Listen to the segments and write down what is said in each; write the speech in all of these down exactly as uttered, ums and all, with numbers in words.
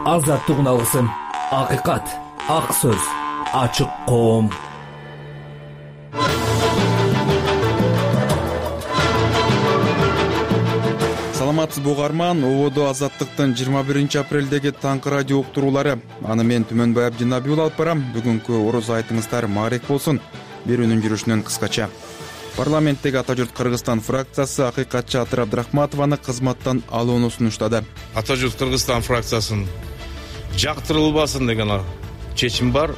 азаттыгын алгысың. Акыйкат, ак сөз, ачык коом. Саламатсызбы угарман, ободо Азаттыктын жыйырма биринчи апрелдеги таңкы радио уктуруулары. Аны мен Түмөнбай Абдинабиул алып барам. Бүгүнкү ороз айтыңыздар маарек болсун. Берүүнүн жүрүшүнөн кыскача. Парламенттеги Ата журт Кыргызстан фракциясы акыйкатчы Атыр Абдрахматованы кызматтан алууну сунуштады. Ата журт Кыргызстан фракциясын жактырылбасын деген чечим бар.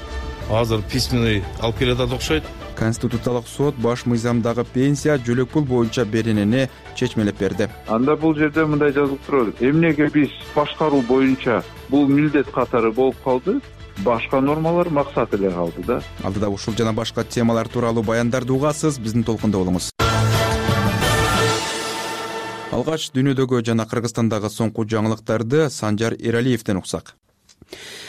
Азыр письменный алып келатат окшойт. Конституциялык сот баш мыйзамдагы пенсия жөлөк пул боюнча беренени чечмелеп берди. Анда бул жерде мындай жазылып турат. Эмнеге биз башкаруу боюнча бул милдет катары болуп калды? Башка нормалар максат эле калды да. Алдыда ушул жана башка темалар тууралуу баяндарды угасыз, биздин толкунда болуңуз. Алгач дүйнөдөгү жана Кыргызстандагы соңку жаңылыктарды Санжар Эралиевден уксак.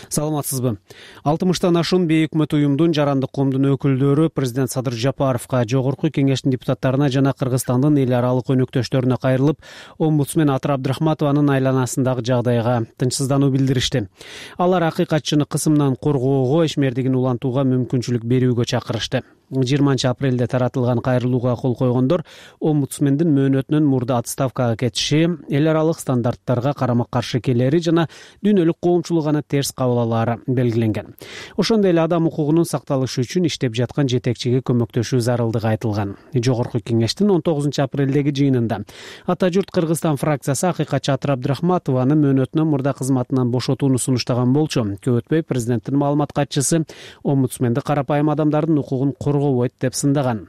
Саламатсызбы. алтымыштан ашуун бейөкмөт уюмдун жарандык коомдун өкүлдөрү президент Садыр Жапаровго, жогорку кеңештин депутаттарына жана Кыргызстандын эл аралык өнөктөштөрүнө кайрылып, омбудсмен Атыр Абдрахматованын айланасындагы жагдайга тынчсыздануу билдиришти. Алар акыйкатчыны кысымдан коргоого, ишмердигин улантууга мүмкүнчүлүк берүүгө чакырышты. жыйырманчы апрелде таратылган кайрылууга кол койгондор омбудсмендин мөөнөтүнөн мурда отставкага кетиши, эл аралык стандарттарга карама-каршы келери жана дүйнөлүк коомчулук аны терс кабыл алаары белгиленген. Ошондой эле адам укугунун сакталышы үчүн иштеп жаткан жетекчиге көмөктөшүү зарылдыгы айтылган. Жогорку кеңештин он тогузунчу апрелдеги жыйынында Ата журт Кыргызстан фракциясы акыйкатчы Атыр Абдрахматованы мөөнөтүнөн мурда кызматынан бошотууну сунуштаган болчу. Көп өтпөй президенттин маалымат катчысы омбудсменди карапайым адамдардын укугун коргобойт деп сындаган.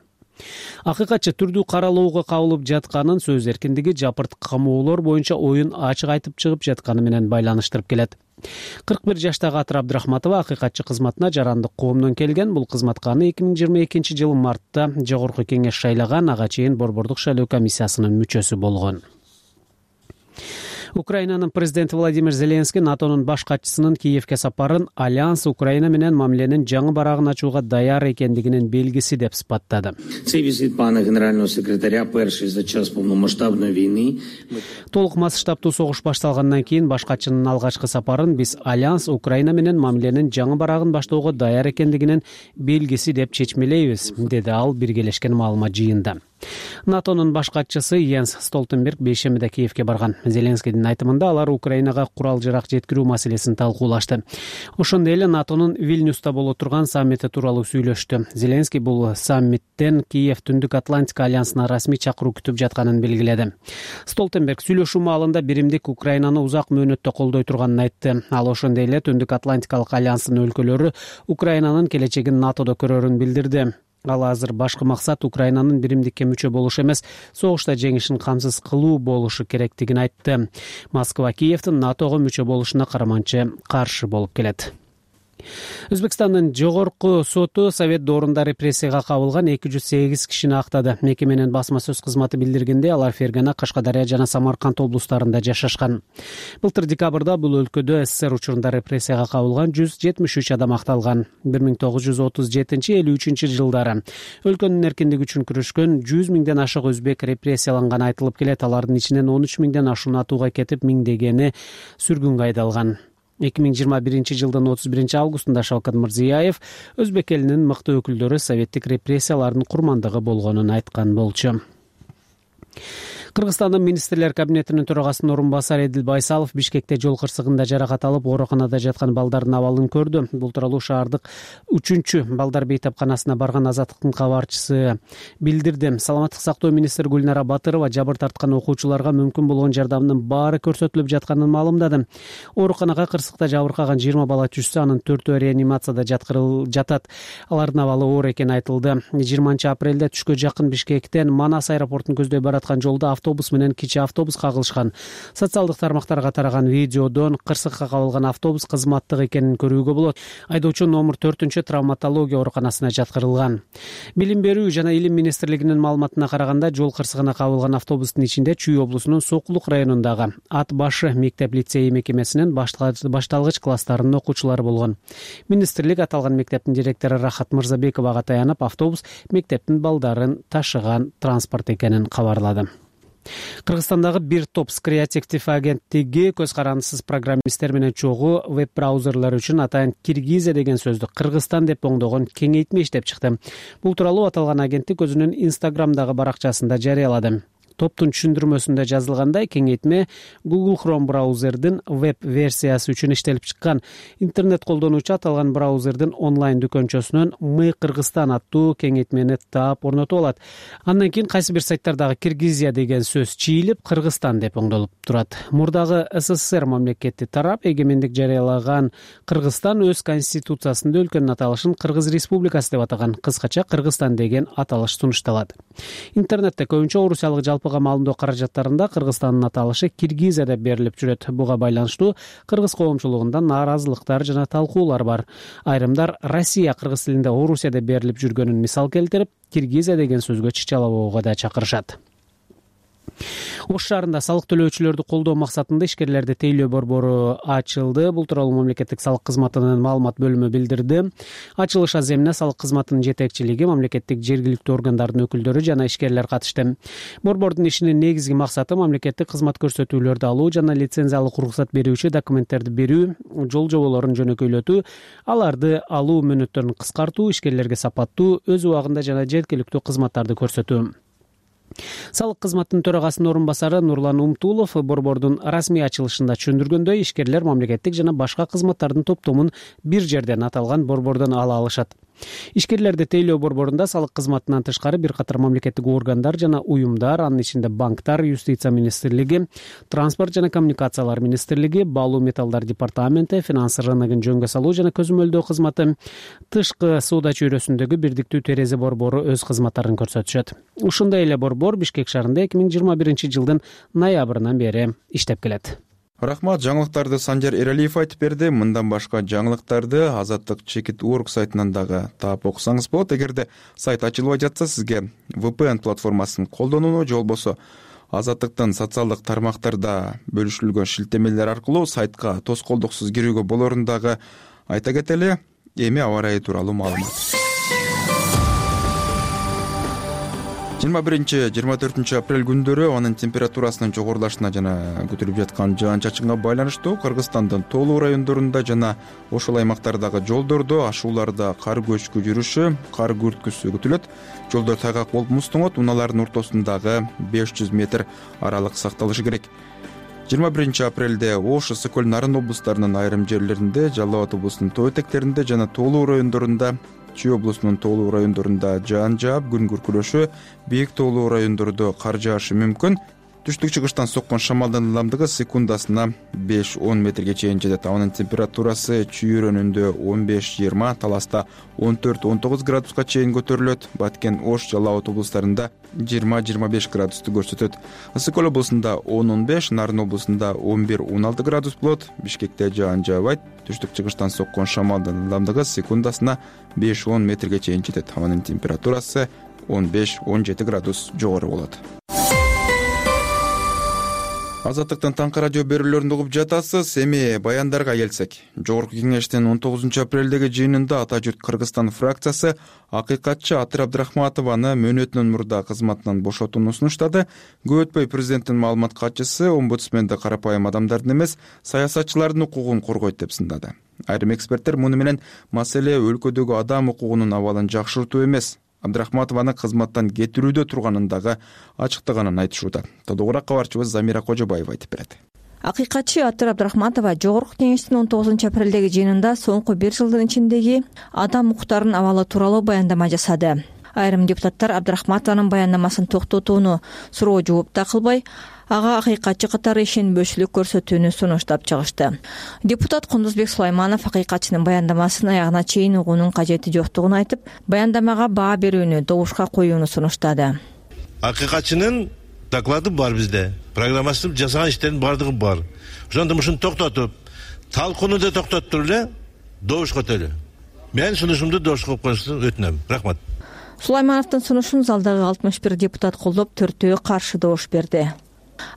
Акыйкатчы түрдүү каралууга кабылып жатканын, сөз эркиндиги, жапырт камоолор боюнча оюн ачык айтып чыгып жатканы менен байланыштырып келет. кырк бир жаштагы Атыр Абдрахматова акыйкатчы кызматына жарандык коомдон келген. Бул кызматка аны эки миң жыйырма экинчи жылы мартта жогорку кеңеш шайлаган, ага чейин Борбордук шайлоо комиссиясынын мүчөсү болгон. Украинанын президенти Владимир Зеленский НАТОнун баш катчысынын Киевке сапарын Альянс Украина менен мамиленин жаңы барагын ачууга даяр экендигинин белгиси деп сыпаттады. Цей визит пана генерального секретаря перший за час полномасштабной войны. Толук масштабтуу согуш башталгандан кийин баш катчынын алгачкы сапарын биз Альянс Украина менен мамиленин жаңы барагын баштоого даяр экендигинин белгиси деп чечмелейбиз, деди ал биргелешкен маалымат жыйында. НАТОнун баш катчысы Йенс Столтенберг бейшембиде Киевке барган. Зеленскийдин айтымында алар Украинага курал-жарак жеткирүү маселесин талкуулашты. Ошондой эле НАТОнун Вильнюста боло турган саммити тууралуу сүйлөштү. Зеленский бул саммиттен Киев Түндүк Атлантика альянсына расмий чакыруу күтүп жатканын белгиледи. Столтенберг сүйлөшүү маалында биримдик Украинаны узак мөөнөттө колдой турганын айтты. Ал ошондой эле Түндүк Атлантикалык альянстын өлкөлөрү Украинанын келечегин НАТОдо көрөрүн билдирди. Ал азыр башкы максат Украинанын биримдикке мүчө болушу эмес, согушта жеңишин камсыз кылуу болушу керектигин айтты. Москва Киевдин НАТОго мүчө болушуна караманчы каршы болуп келет. Өзбекстандын жогорку соту Совет доорунда репрессияга кабылган эки жүз сегиз кишини актады. Мекеменин басма сөз кызматы билдиргенде, алар Фергана, Кашкадария жана Самарканд облустарында жашашкан. Былтыр декабрда бул өлкөдө СССР учурунда репрессияга кабылган жүз жетимиш үч адам акталган. бир миң тогуз жүз отуз жетинчи элүү үчүнчү жылдары өлкөнүн эркиндиги үчүн күрөшкөн жүз миңден ашык өзбек репрессияланганы айтылып келет. Алардын ичинен он үч миңден ашуун атууга кетип, миңдегени сүргүнгө айдалган. эки миң жыйырма биринчи жылдын отуз биринчи августунда Шавкат Мирзиёев өзбек элинин мыкты өкүлдөрү советтик репрессиялардын курмандыгы болгонун айткан болчу. Кыргызстандын министрлер кабинетинин төрагасынын орун басары Эдил Байсалов Бишкекте жол кырсыгында жаракат алып, ооруканада жаткан балдардын абалын көрдү. Бул тууралуу шаардык үчүнчү балдар бейтапканасына барган Азаттыктын кабарчысы билдирди. Саламаттык сактоо министри Гүлнара Батырова жабыр тарткан окуучуларга мүмкүн болгон жардамдын баары көрсөтүлүп жатканын маалымдады. Ооруканага кырсыкта жабыркаган жыйырма бала түшсө, анын төртөө реанимацияда жаткырыл жатат. Алардын абалы оор экени айтылды. жыйырманчы апрелде түшкө жакын Бишкектен Манас аэропортун көздөй бараткан жолдо автобус менен кичи автобус кагылышкан. Социалдык тармактарга тараган видеодон кырсыкка кабылган автобус кызматтык экенин көрүүгө болот. Айдоочу номер төртүнчү травматология ооруканасына жаткырылган. Билим берүү жана илим министрлигинин маалыматына караганда, жол кырсыгына кабылган автобустун ичинде Чүй облусунун Сокулук районундагы Ат башы мектеп-лицей мекемесинин башталгыч класстарынын окуучулары болгон. Министрлик аталган мектептин директору Рахат Мырзабековага таянып, автобус мектептин балдарын ташыган транспорт экенин кабарлады. Кыргызстандагы бир топ креативдик агенттиги көз карандысыз программисттер менен чогуу веб-браузерлер үчүн атайын Киргизия деген сөздү Кыргызстан деп оңдогон кеңейтме иштеп чыкты. Бул тууралуу аталган агенттик өзүнүн Instagram'дагы баракчасында жарыялады. Топтун түшүндүрмөсүндө жазылгандай, кеңейтме Google Chrome браузердин веб-версиясы үчүн иштелип чыккан. Интернет колдонуучу аталган браузердин онлайн дүкөнчөсүнөн Мы Кыргызстан аттуу кеңейтмени таап орнотуп алат. Андан кийин кайсы бир сайттардагы Киргизия деген сөз чийилип, Кыргызстан деп оңдолуп турат. Мурдагы СССР мамлекети тарап эгемендик жарыялаган Кыргызстан өз конституциясында өлкөнүн аталышын Кыргыз Республикасы деп атаган. Кыскача Кыргызстан деген аталыш сунушталат. Интернетте көбүнчө орусиялык жалпыга маалымдоо каражаттарында Кыргызстандын аталышы Киргизия деп берилип жүрөт. Буга байланыштуу кыргыз коомчулугунда нааразылыктар жана талкуулар бар. Айрымдар Россия кыргыз тилинде Орусия деп берилип жүргөнүн мисал келтирип, Киргизия деген сөзгө чычалабоого да чакырышат. Ош шаарында салык төлөөчүлөрдү колдоо максатында ишкерлерди тейлөө борбору ачылды. Бул тууралуу мамлекеттик салык кызматынын маалымат бөлүмү билдирди. Ачылыш аземине салык кызматынын жетекчилиги, мамлекеттик жергиликтүү органдардын өкүлдөрү жана ишкерлер катышты. Борбордун ишинин негизги максаты мамлекеттик кызмат көрсөтүүлөрдү алуу жана лицензиялык уруксат берүүчү документтерди берүү, жол жоболорун жөнөкөйлөтүү, аларды алуу мөөнөттөрүн кыскартуу, ишкерлерге сапаттуу, өз убагында жана жеткиликтүү кызматтарды көрсөтүү. Салык кызматынын төрагасынын орун басары Нурлан Умтулов борбордун расмий ачылышында түшүндүргөндөй, ишкерлер мамлекеттик жана башка кызматтардын топтомун бир жерден аталган борбордон ала алышат. Ишкерлерди тейлөө борборунда салык кызматынан тышкары бир катар мамлекеттик органдар жана уюмдар, анын ичинде банктар, юстиция министрлиги, транспорт жана коммуникациялар министрлиги, баалуу металлдар департаменти, финанс рыногун жөнгө салуу жана көзөмөлдөө кызматы, тышкы соода чөйрөсүндөгү бирдиктүү терезе борбору өз кызматтарын көрсөтүшөт. Ушундай эле борбор Бишкек шаарында эки миң жыйырма биринчи жылдын ноябрынан бери иштеп келет. Рахмат, жаңылыктарды Санжар Эралиев айтып берди. Мындан башка жаңылыктарды Азаттык чекит точка орг сайтынан дагы таап окусаңыз болот. Эгерде сайт ачылбай жатса, сизге ви пи эн платформасын колдонууну же болбосо Азаттыктын социалдык тармактарда бөлүшүлгөн шилтемелер аркылуу сайтка тоскоолдуксуз кирүүгө болорун дагы айта кетели. Эми аба ырайы тууралуу маалымат. жыйырма биринчи жыйырма төртүнчү апрель күндөрү анын температурасынын жогорулашына жана көтөрүлүп жаткан жаан-чачынга байланыштуу Кыргызстандын тоолуу райондорунда жана ошол аймактардагы жолдордо ашууларда кар көчкү жүрүшү, кар күрткүсү күтүлөт. Жолдор тайгак болуп муздуңот, унаалардын ортосундагы беш жүз метр аралык сакталышы керек. жыйырма биринчи апрелде Ош, Ысык-Көл, Нарын облустарынын айрым жерлеринде, Жалал Абад облусунун тоо этектеринде жана тоолуу райондорунда, Чүй облусунун тоолуу райондорунда жаан жаап, күн күркүрөшү, бийик тоолуу райондордо кар жаашы мүмкүн. Түштүк-чыгыштан соккон шамалдын ылдамдыгы секундасына беш он метрге чейин жетет. Анын температурасы Чүй районунда он беш жыйырма, Таласта он төрт он тогуз градуска чейин көтөрүлөт. Баткен, Ош, Жалал Абад облустарында жыйырма жыйырма беш градусту көрсөтөт. Ысык-Көл облусунда он он беш, Нарын облусунда он бир он алты градус болот. Бишкекте жаан жаабайт. Түштүк-чыгыштан соккон шамалдын ылдамдыгы секундасына беш он метрге чейин жетет. Анын температурасы он беш он жети градус жогору болот. Азаттыктын таңкы радио берүүлөрүн угуп жатасыз. Эми баяндарга келсек, Жогорку кеңештин он тогузунчу апрелдеги жыйынында Ата журт Кыргызстан фракциясы акыйкатчы Атыр Абдрахматованы мөөнөтүнөн мурда кызматынан бошотууну сунуштады. Көп өтпөй президенттин маалымат катчысы омбудсменди карапайым адамдардын эмес, саясатчылардын укугун коргойт деп сындады. Айрым эксперттер муну менен маселе өлкөдөгү адам укугунун абалын жакшыртуу эмес, Абдрахматованы кызматтан кетирүүдө турганын дагы ачыктаганын айтышууда. Тодогураак кабарчыбыз Замира Кожобаева айтып берет. Акыйкатчы Атыр Абдрахматова Жогорку кеңештин он тогузунчу апрелдеги жыйынында соңку бир жылдын ичиндеги адам укуктарынын абалы тууралуу баяндама жасады. Айрым депутаттар Абдрахматованын баяндамасын токтотууну суроо жооп да кылбай, ага акыйкатчы катары ишенбөөчүлүк көрсөтүүнү сунуштап чыгышты. Депутат Кундузбек Сулайманов акыйкатчынын баяндамасын аягына чейин угуунун кажети жоктугун айтып, баяндамага баа берүүнү добушка коюуну сунуштады. Акыйкатчынын доклады бар бизде, программасы жасаган иштердин бардыгы бар. Ошондо ушуну токтотуп, талкууну да токтотуп эле добуш көтөлү. Мен сунушумду добушка коюшун өтүнөм. Рахмат. Сулаймановдун сунушун залдагы алтымыш бир депутат колдоп, төртөө каршы добуш берди.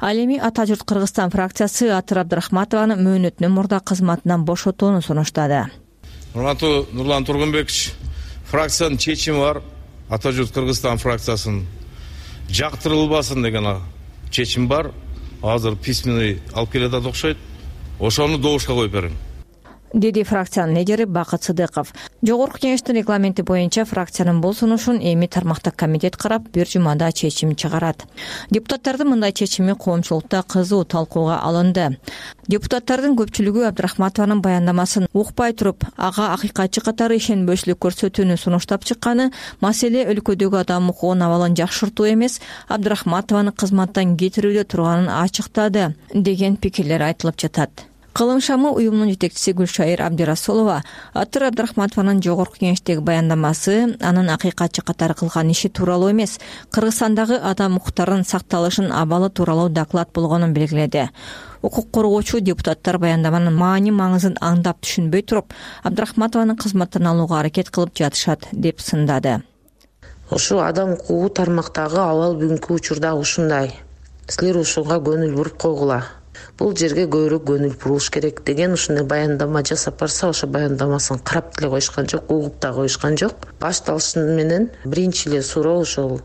Ал эми Ата журт Кыргызстан фракциясы Атыр Абдрахматованы мөөнөтүнөн мурда кызматынан бошотууну сунуштады. Урматтуу Нурлан Тургунбекович, фракциянын чечими бар. Ата журт Кыргызстан фракциясын жактырылбасын деген чечим бар, азыр письменный алып келатат окшойт. Ошону добушка коюп берем, деди фракциянын лидери Бакыт Сыдыков. Жогорку кеңештин регламенти боюнча фракциянын бул сунушун эми тармактык комитет карап, бир жумада чечим чыгарат. Депутаттардын мындай чечими коомчулукта кызуу талкууга алынды. Депутаттардын көпчүлүгү Абдрахматованын баяндамасын укпай туруп, ага акыйкатчы катары ишенбөөчүлүк көрсөтүүнү сунуштап чыкканы маселе өлкөдөгү адам укугунун абалын жакшыртуу эмес, Абдрахматованы кызматтан кетирүүдө турганын ачыктады деген пикирлер айтылып жатат. Кылым шамы уюмунун жетекчиси Гүлшайыр Абдирасулова Атыр Абдрахматованын жогорку кеңештеги баяндамасы анын акыйкатчы катары кылган иши тууралуу эмес, Кыргызстандагы адам укуктарынын сакталышын абалы тууралуу доклад болгонун белгиледи. Укук коргоочу депутаттар баяндаманын маани маңызын аңдап түшүнбөй туруп, Абдрахматованын кызматтан алууга аракет кылып жатышат деп сындады. Ошо адам укугу тармактагы абал бүгүнкү учурда ушундай. Силер ушуга көңүл буруп койгула. Бул жерге көбүрөөк көңүл бурулуш керек деген ушундай баяндама жасап барса, ошо баяндамасын карап деле коюшкан жок, угуп да коюшкан жок. Башталышы менен биринчи эле суроо ошол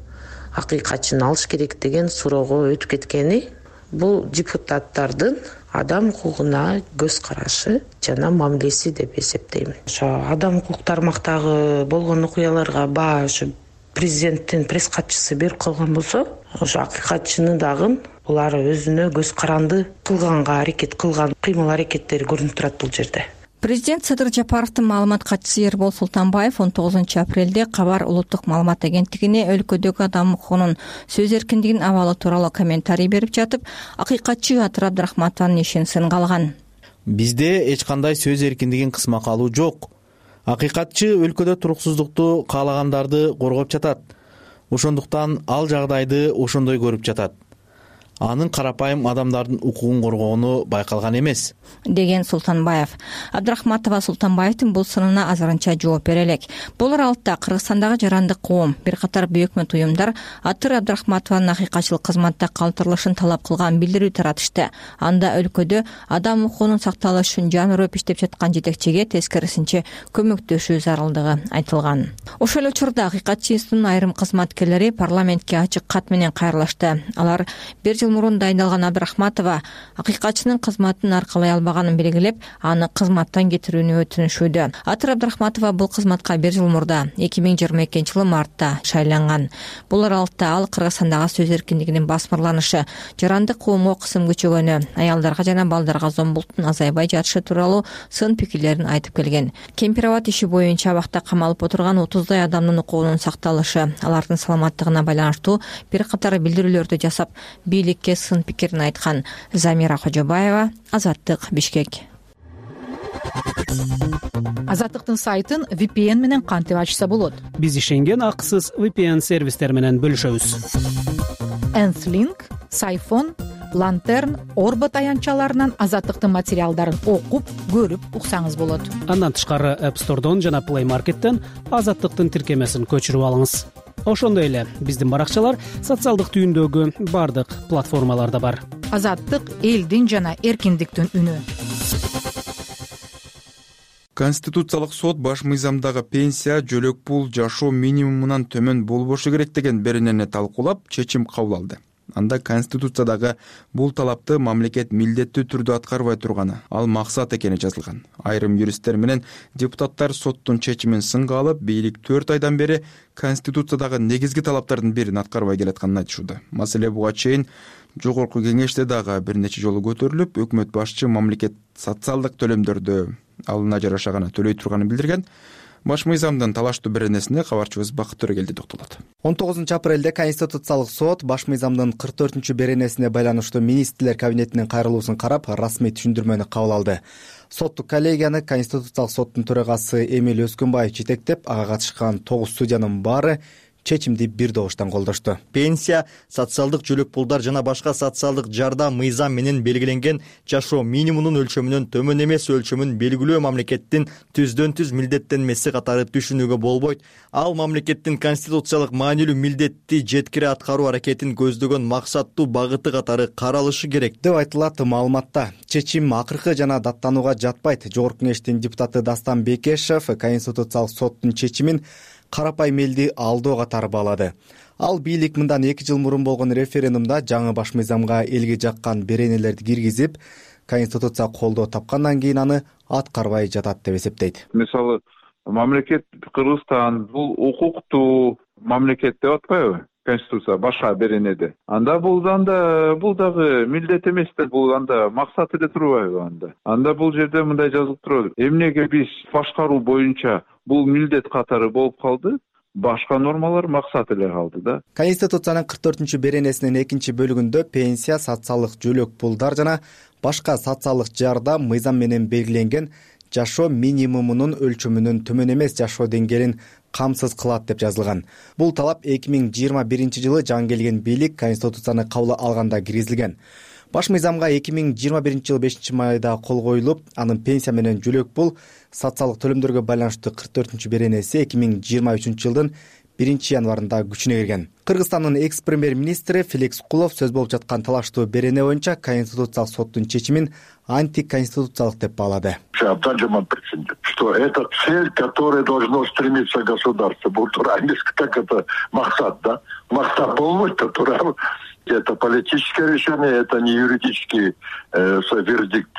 акыйкатчыны алыш керек деген суроого өтүп кеткени бул депутаттардын адам укугуна көз карашы жана мамилеси деп эсептейм. Ошо адам укук тармактагы болгон окуяларга баа ошо президенттин пресс катчысы берип койгон болсо, ошо акыйкатчыны дагы булар өзүнө көз каранды кылганга аракет кылган кыймыл аракеттери көрүнүп турат бул жерде. Президент Садыр Жапаровдун маалымат катчысы Эрбол Султанбаев он тогузунчу апрелде Кабар улуттук маалымат агенттигине өлкөдөгү адам укугунун сөз эркиндигинин абалы тууралуу комментарий берип жатып, акыйкатчы Атыр Абдрахматованын ишин сынга алган. Бизде эч кандай сөз эркиндигин кысмакка алуу жок. Акыйкатчы өлкөдө туруксуздукту каалагандарды коргоп жатат. Ошондуктан ал жагдайды ошондой көрүп жатат. Анын карапайым адамдардын укугун коргоону байкалган эмес, деген Султанбаев. Абдрахматова Султанбаевдин бул сынына азырынча жооп бере элек. Бул аралыкта Кыргызстандагы жарандык коом, бир катар бейөкмөт уюмдар Атыр Абдрахматованын акыйкатчылык кызматта калтырылышын талап кылган билдирүү таратышты. Анда өлкөдө адам укугунун сакталышы үчүн жан өрөп иштеп жаткан жетекчиге тескерисинче көмөктөшүү зарылдыгы айтылган. Ошол эле учурда акыйкатчы институтунун айрым кызматкерлери парламентке ачык кат менен кайрылышты. Алар бир жыл мурун дайындалган Абдрахматова акыйкатчынын кызматын аркалай албаганын белгилеп, аны кызматтан кетирүүнү өтүнүшүүдө. Атыр Абдрахматова бул кызматка бир жыл мурда эки миң жыйырма экинчи жылы мартта шайланган. Бул аралыкта ал Кыргызстандагы сөз эркиндигинин басмырланышы, жарандык коомго кысым күчөгөнү, аялдарга жана балдарга зомбулуктун азайбай жатышы тууралуу сын пикирлерин айтып келген. Кемпирабад иши боюнча абакта камалып отурган отуздай адамдын укугунун сакталышы, алардын саламаттыгына байланыштуу бир катар билдирүүлөрдү жасап, бийлик сын пикирин айткан. Замира Кожобаева, Азаттык, Бишкек. Азаттыктын сайтын ви пи эн менен кантип ачса болот? Биз ишенген акысыз ви пи эн сервистер менен бөлүшөбүз. Энслинк, Сайфон, Лантерн, Орбот аянтчаларынан Азаттыктын материалдарын окуп, көрүп уксаңыз болот. Андан тышкары App Store'дон жана Play Market'тен Азаттыктын тиркемесин көчүрүп алыңыз. Ошондой эле биздин баракчалар социалдык түйүндөгү бардык платформаларда бар. Азаттык элдин жана эркиндиктин үнү. Конституциялык сот баш мыйзамдагы пенсия, жөлөк пул жашоо минимумунан төмөн болбошу керек деген беренени талкуулап, чечим кабыл алды. Анда Конституциядагы бул талапты мамлекет милдеттүү түрдө аткарбай турганы, ал максат экени жазылган. Айрым юристтер менен депутаттар соттун чечимин сынга алып, бийлик төрт айдан бери Конституциядагы негизги талаптардын бирин аткарбай келатканын айтышууда. Маселе буга чейин жогорку кеңеште дагы бир нече жолу көтөрүлүп, өкмөт башчы мамлекет социалдык төлөмдөрдү алына жараша гана төлөй турганын билдирген. Баш мыйзамдын талаштуу беренесине кабарчыбыз Бакыт Төрөгелди токтолот. он тогузунчу апрелде Конституциялык сот баш мыйзамдын кырк төртүнчү беренесине байланыштуу министрлер кабинетинин кайрылуусун карап, расмий түшүндүрмөнү кабыл алды. Соттук коллегияны Конституциялык соттун төрагасы Эмиль Өскөнбаев жетектеп, ага катышкан тогуз судьянын баары чечимди бир добуштан колдошту. Пенсия, социалдык жөлөк пулдар жана башка социалдык жардам мыйзам менен белгиленген жашоо минимумунун өлчөмүнөн төмөн эмес өлчөмүн белгилөө мамлекеттин түздөн түз милдеттенмеси катары түшүнүүгө болбойт. Ал мамлекеттин конституциялык маанилүү милдетти жеткире аткаруу аракетин көздөгөн максаттуу багыты катары каралышы керек деп айтылат маалыматта. Чечим акыркы жана даттанууга жатпайт. Жогорку кеңештин депутаты Дастан Бекешев Конституциялык соттун чечимин карапайым элди алдоо катары баалады. ал бийлик мындан эки жыл мурун болгон референдумда жаңы баш мыйзамга элге жаккан беренелерди киргизип, конституция колдоо тапкандан кийин аны аткарбай жатат деп эсептейт. Мисалы, мамлекет Кыргызстан бул укуктуу мамлекет деп атпайбы? Конституция башка беренеде. Анда бул анда бул дагы милдет эмес да, бул анда максат эле турбайбы анда? Анда бул жерде мындай жазылып турат. Эмнеге биз башкаруу боюнча бул милдет катары болуп калды? Башка нормалар максат эле калды да. Конституциянын кырк төртүнчү беренесинин экинчи бөлүгүндө пенсия, социалдык жөлөк пулдар жана башка социалдык жардам мыйзам менен белгиленген жашоо минимумунун өлчөмүнөн төмөн эмес жашоо деңгээлин камсыз кылат деп жазылган. Бул талап эки миң жыйырма биринчи жылы жаңы келген бийлик конституцияны кабыл алганда киргизилген. Баш мыйзамга эки миң жыйырма биринчи жылы бешинчи майда кол коюлуп, анын пенсия менен жөлөк пул, социалдык төлөмдөргө байланыштуу кырк төртүнчү беренеси эки миң жыйырма үчүнчү жылдын биринчи январында күчүнө кирген. Кыргызстандын экс премьер-министри Феликс Кулов сөз болуп жаткан талаштуу берене боюнча Конституциялык соттун чечимин антиконституциялык деп баалады. Что это цель, к которой должно стремиться государство. Бул туура эмес, как это максат, да? Максат болбойт, туура. Это политическое решение, это не юридический э, вердикт,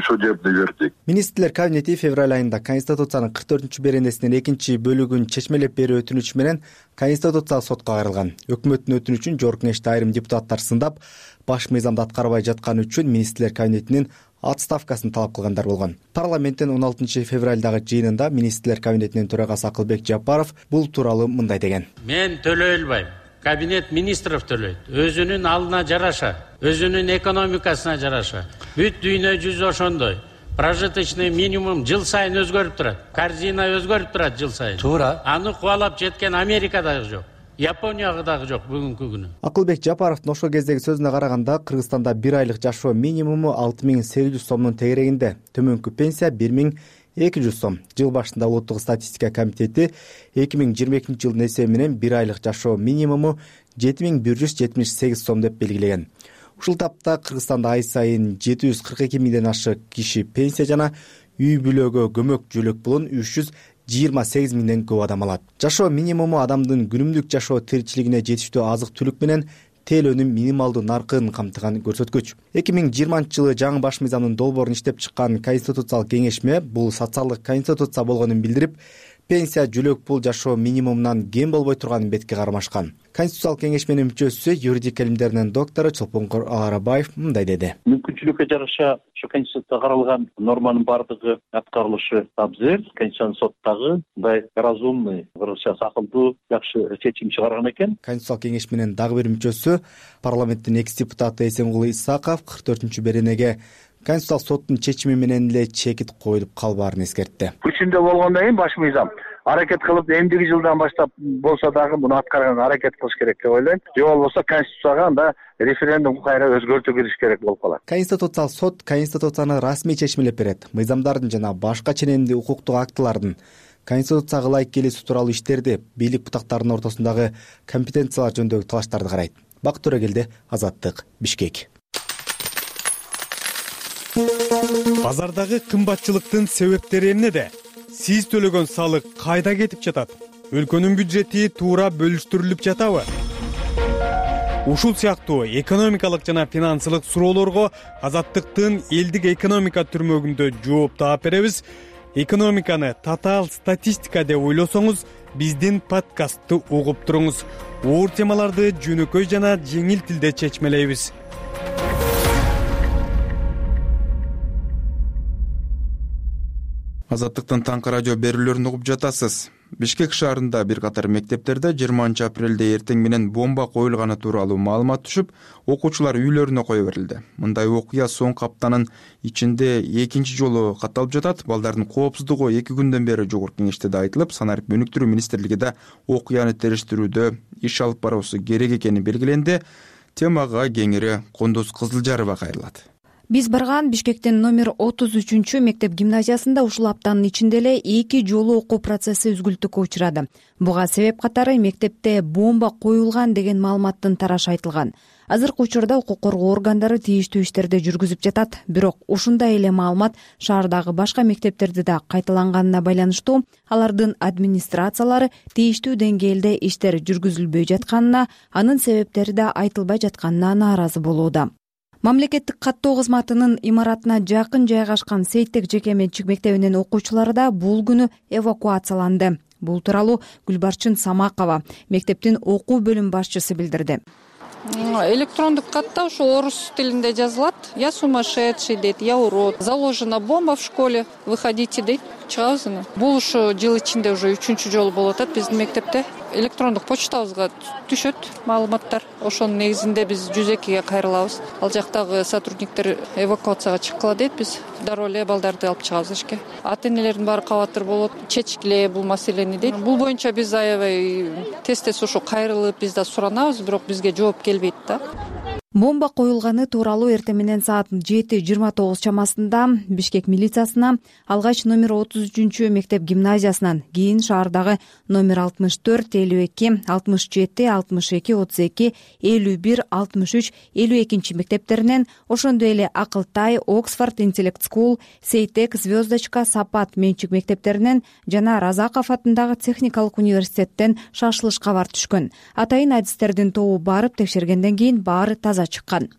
судебный вердикт. Министрлер кабинети февраль айында Конституциянын кырк төртүнчү беренесинин экинчи бөлүгүн чечмелеп берүү өтүнүчү менен Конституциялык сотко кайрылган. Өкмөттүн өтүнүчүн жогорку кеңеште айрым депутаттар сындап, баш мыйзамды аткарбай жатканы үчүн министрлер кабинетинин отставкасын талап кылгандар болгон. Парламенттин он алтынчы февралдагы жыйынында министрлер кабинетинин төрагасы Акылбек Жапаров бул тууралуу мындай деген. Мен төлөй албайм. Кабинет министров төлөйт. Өзүнүн алдына жараша, өзүнүн экономикасына жараша. Бүт дүйнө жүзү ошондой. Прожиточный минимум жыл сайын өзгөрүп турат. Корзина өзгөрүп турат жыл сайын. Туура. Аны кубалап жеткен Америка дагы жок. Япония дагы жок бүгүнкү күнү. Акылбек Жапаровдун ошол кездеги сөзүнө караганда, Кыргызстанда бир айлык жашоо минимуму алты миң сегиз жүз сомдун тегерегинде, төмөнкү пенсия бир миң эки жүз сом. Жыл башында Улуттук статистика комитети эки миң жыйырма экинчи жылдын эсеби менен бир айлык жашоо минимуму жети миң бир жүз жетимиш сегиз сом деп белгилеген. Ушул тапта Кыргызстанда ай сайын жети жүз кырк эки миңден ашык киши пенсия жана үй бүлөгө көмөк жөлөк пулун үч жүз жыйырма сегиз миңден көп адам алат. Жашоо минимуму адамдын күнүмдүк жашоо тиричилигине жетиштүү азык түлүк менен тейлөөнүн минималдуу наркын камтыган көрсөткүч. эки миң жыйырманчы жылы жаңы баш мыйзамдын долбоорун иштеп чыккан Конституциялык кеңешме бул социалдык конституция болгонун билдирип, пенсия, жөлөк пул жашоо минимумунан кем болбой турганын бетке кармашкан. Конституциялык кеңешменин мүчөсү, юридик илимдеринин доктору Чолпонкор Арабаев мындай деди. Мүмкүнчүлүккө жараша ошо Конституцияда каралган норманын бардыгы аткарылышы абзел. Конституциялык сот дагы мындай разумный, кыргызча акылдуу, жакшы чечим чыгарган экен. Конституциялык кеңешменин дагы бир мүчөсү, парламенттин экс депутаты Эсенгул Исаков кырк төртүнчү беренеге Конституциялык соттун чечими менен эле чекит коюлуп калбаарын эскертти. Күчүндө болгондон кийин баш мыйзам аракет кылып, эмдиги жылдан баштап болсо дагы муну аткарганга аракет кылыш керек деп ойлойм. Же болбосо Конституцияга анда референдум кайра өзгөртүү кириш керек болуп калат. Конституциялык сот Конституцияны расмий чечмелеп берет. Мыйзамдардын жана башка ченемдүү укуктук актылардын Конституцияга ылайык келүүсү тууралуу иштерди, бийлик бутактарынын ортосундагы компетенциялар жөнүндөгү талаштарды карайт. Бакыт Төрөгелди, Азаттык, Бишкек. Базардагы кымбатчылыктын себептери эмнеде? Сиз төлөгөн салык кайда кетип жатат? Өлкөнүн бюджети туура бөлүштүрүлүп жатабы? Ушул сыяктуу экономикалык жана финансылык суроолорго Азаттыктын элдик экономика түрмөгүндө жооп таап беребиз. Экономиканы татаал статистика деп ойлосоңуз, биздин подкастты угуп туруңуз. Оор темаларды жөнөкөй жана жеңил тилде чечмелейбиз. Азаттыктын таңкы радио берүүлөрүн угуп жатасыз. Бишкек шаарында бир катар мектептерде жыйырманчы апрелде эртең менен бомба коюлганы тууралуу маалымат түшүп, окуучулар үйлөрүнө кое берилди. Мындай окуя соңку аптанын ичинде экинчи жолу катталып жатат. Балдардын коопсуздугу эки күндөн бери жогорку кеңеште да айтылып, санарип өнүктүрүү министрлиги да окуяны териштирүүдө иш алып баруусу керек экени белгиленди. Темага кеңири Кондуз Кызылжарова кайрылат. Биз барган Бишкектин номер отуз үчүнчү мектеп гимназиясында ушул аптанын ичинде эле эки жолу окуу процесси үзгүлтүккө учурады. Буга себеп катары мектепте бомба коюлган деген маалыматтын тарашы айтылган. Азыркы учурда укук коргоо органдары тийиштүү иштерди жүргүзүп жатат. Бирок ушундай эле маалымат шаардагы башка мектептерде да кайталанганына байланыштуу алардын администрациялары тийиштүү деңгээлде иштер жүргүзүлбөй жатканына, анын себептери да айтылбай жатканына нааразы болууда. Мамлекеттик каттоо кызматынын имаратына жакын жайгашкан Сейттек жеке менчик мектебинин окуучулары да бул күнү эвакуацияланды. Бул тууралуу Гүлбарчын Самакова, мектептин окуу бөлүм башчысы билдирди. Электрондук катта ушу орус тилинде жазылат. Я сумасшедший дейт, я урод. Заложена бомба в школе, выходите дейт. Чыгабыз. Бул ушу жыл ичинде уже үчүнчү жолу болуп атат биздин мектепте. Электрондук почтабызга түшөт маалыматтар. Ошонун негизинде биз жүз экиге кайрылабыз. Ал жактагы сотрудниктер эвакуацияга чыккыла дейт, биз дароо эле балдарды алып чыгабыз ишке. Ата-энелердин баары кабатыр болот, чечкиле бул маселени дейт. Бул боюнча биз аябай тез-тез ушу кайрылып биз да суранабыз, бирок бизге жооп келбейт да. Бомба коюлганы тууралуу эртең менен саат жети жыйырма тогуз чамасында Бишкек милициясына, алгач номер отуз үчүнчү мектеп гимназиясынан, кийин шаардагы номер алтымыш төрт, элүү эки, алтымыш жети, алтымыш эки, отуз эки, элүү бир, алтымыш үч, элүү экинчи мектептеринен, ошондой эле Акылтай, Оксфорд, Интеллект Скул, Сейтек, Звездочка, Сапат менчик мектептеринен жана Разаков атындагы техникалык университеттен шашылыш кабар түшкөн. Атайын адистердин тобу барып текшергенден кийин баары таза чыккан.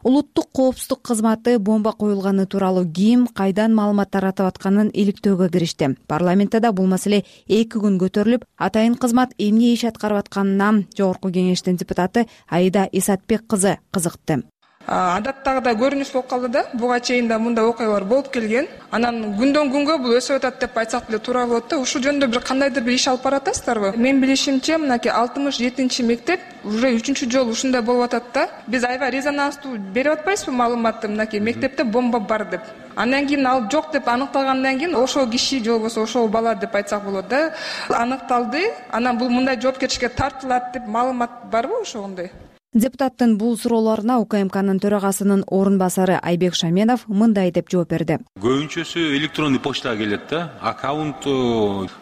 Улуттук коопсуздук кызматы бомба коюлганы тууралуу ким, кайдан маалымат таратып атканын иликтөөгө киришти. Парламентте да бул маселе эки күн көтөрүлүп, атайын кызмат эмне иш аткарып атканына Жогорку Кеңештин депутаты Аида Исатбек кызы кызыкты. Адаттагыдай көрүнүш болуп калды да, буга чейин да мындай окуялар болуп келген. Анан күндөн күнгө бул өсүп атат деп айтсак деле туура болот да. Ушул жөнүндө бир кандайдыр бир иш алып баратасыздарбы? Мен билишимче, мынакей алтымыш жетинчи мектеп уже үчүнчү жолу ушундай болуп атат да. Биз аябай резонанстуу берип атпайбызбы маалыматты, мынакей мектепте бомба бар деп. Андан кийин ал жок деп аныкталгандан кийин ошол киши же болбосо ошол бала деп айтсак болот да. Аныкталды. Анан бул мындай жоопкерчиликке тартылат деп маалымат барбы ошондой? Депутаттын бул суроолоруна УКМКнын төрагасынын орун басары Айбек Шаменов мындай деп жооп берди. Көбүнчөсү электронный почтага келет да. Аккаунт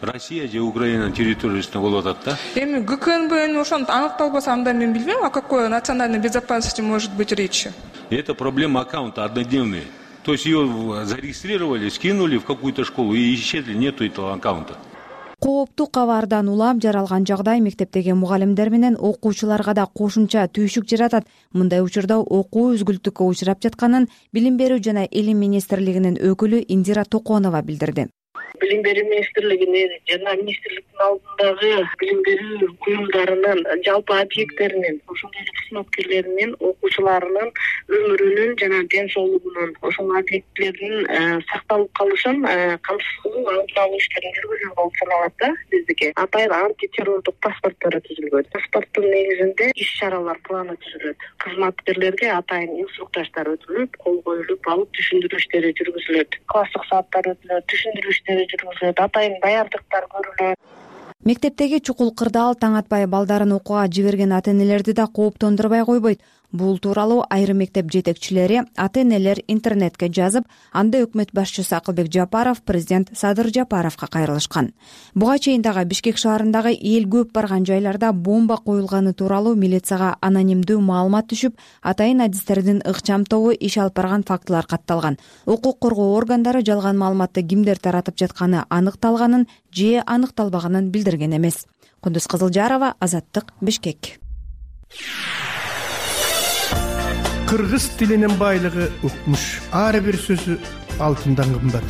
Россия же Украина территориясында болуп атат да. Эми ГКНБнын ошону аныкталбаса, анда мен билбейм, о какой национальной безопасности может быть речь. Это проблема аккаунта однодневная. То есть ее зарегистрировали, скинули в какую-то школу и исчезли, нету этого аккаунта. Кооптуу кабардан улам жаралган жагдай мектептеги мугалимдер менен окуучуларга да кошумча түйшүк жаратат. Мындай учурда окуу үзгүлтүккө учурап жатканын Билим берүү жана Илим министрлигинин өкүлү Индира Токонова билдирди. Билим берүү министрлигинин жана министрликтин алдындагы билим берүү уюмдарынын жалпы объекттеринин, ошондой эле кызматкерлеринин, окуучуларынын өмүрүнүн жана ден соолугунун, ошол объекттердин сакталып калышын камсыз кылуу алдын алуу иштерин жүргүзүлгөн болуп саналат да биздики. Атайын антитеррордук паспорттор түзүлгөн. Паспорттун негизинде иш-чаралар планы түзүлөт. Кызматкерлерге атайын инструктаждар өтүлүп, кол коюлуп, алып түшүндүрүү иштери жүргүзүлөт. Класстык сааттар өтүлөт, түшүндүрүү иштери жүргүзүлөт, атайын даярдыктар көрүлөт. Мектептеги чукул кырдаал таң атпай балдарын окууга жиберген ата-энелерди да кооптондурбай койбойт. Бул тууралуу айрым мектеп жетекчилери, ата-энелер интернетке жазып, анда өкмөт башчысы Акылбек Жапаров, президент Садыр Жапаровго кайрылышкан. Буга чейин дагы Бишкек шаарындагы эл көп барган жайларда бомба коюлганы тууралуу милицияга анонимдүү маалымат түшүп, атайын адистердин ыкчам тобу иш алып барган фактылар катталган. Укук коргоо органдары жалган маалыматты кимдер таратып жатканы аныкталганын же аныкталбаганын билдирген эмес. Кундуз Кызылжарова, Азаттык, Бишкек. Кыргыз тилинин байлыгы укмуш. Ар бир сөзү алтындан кымбат.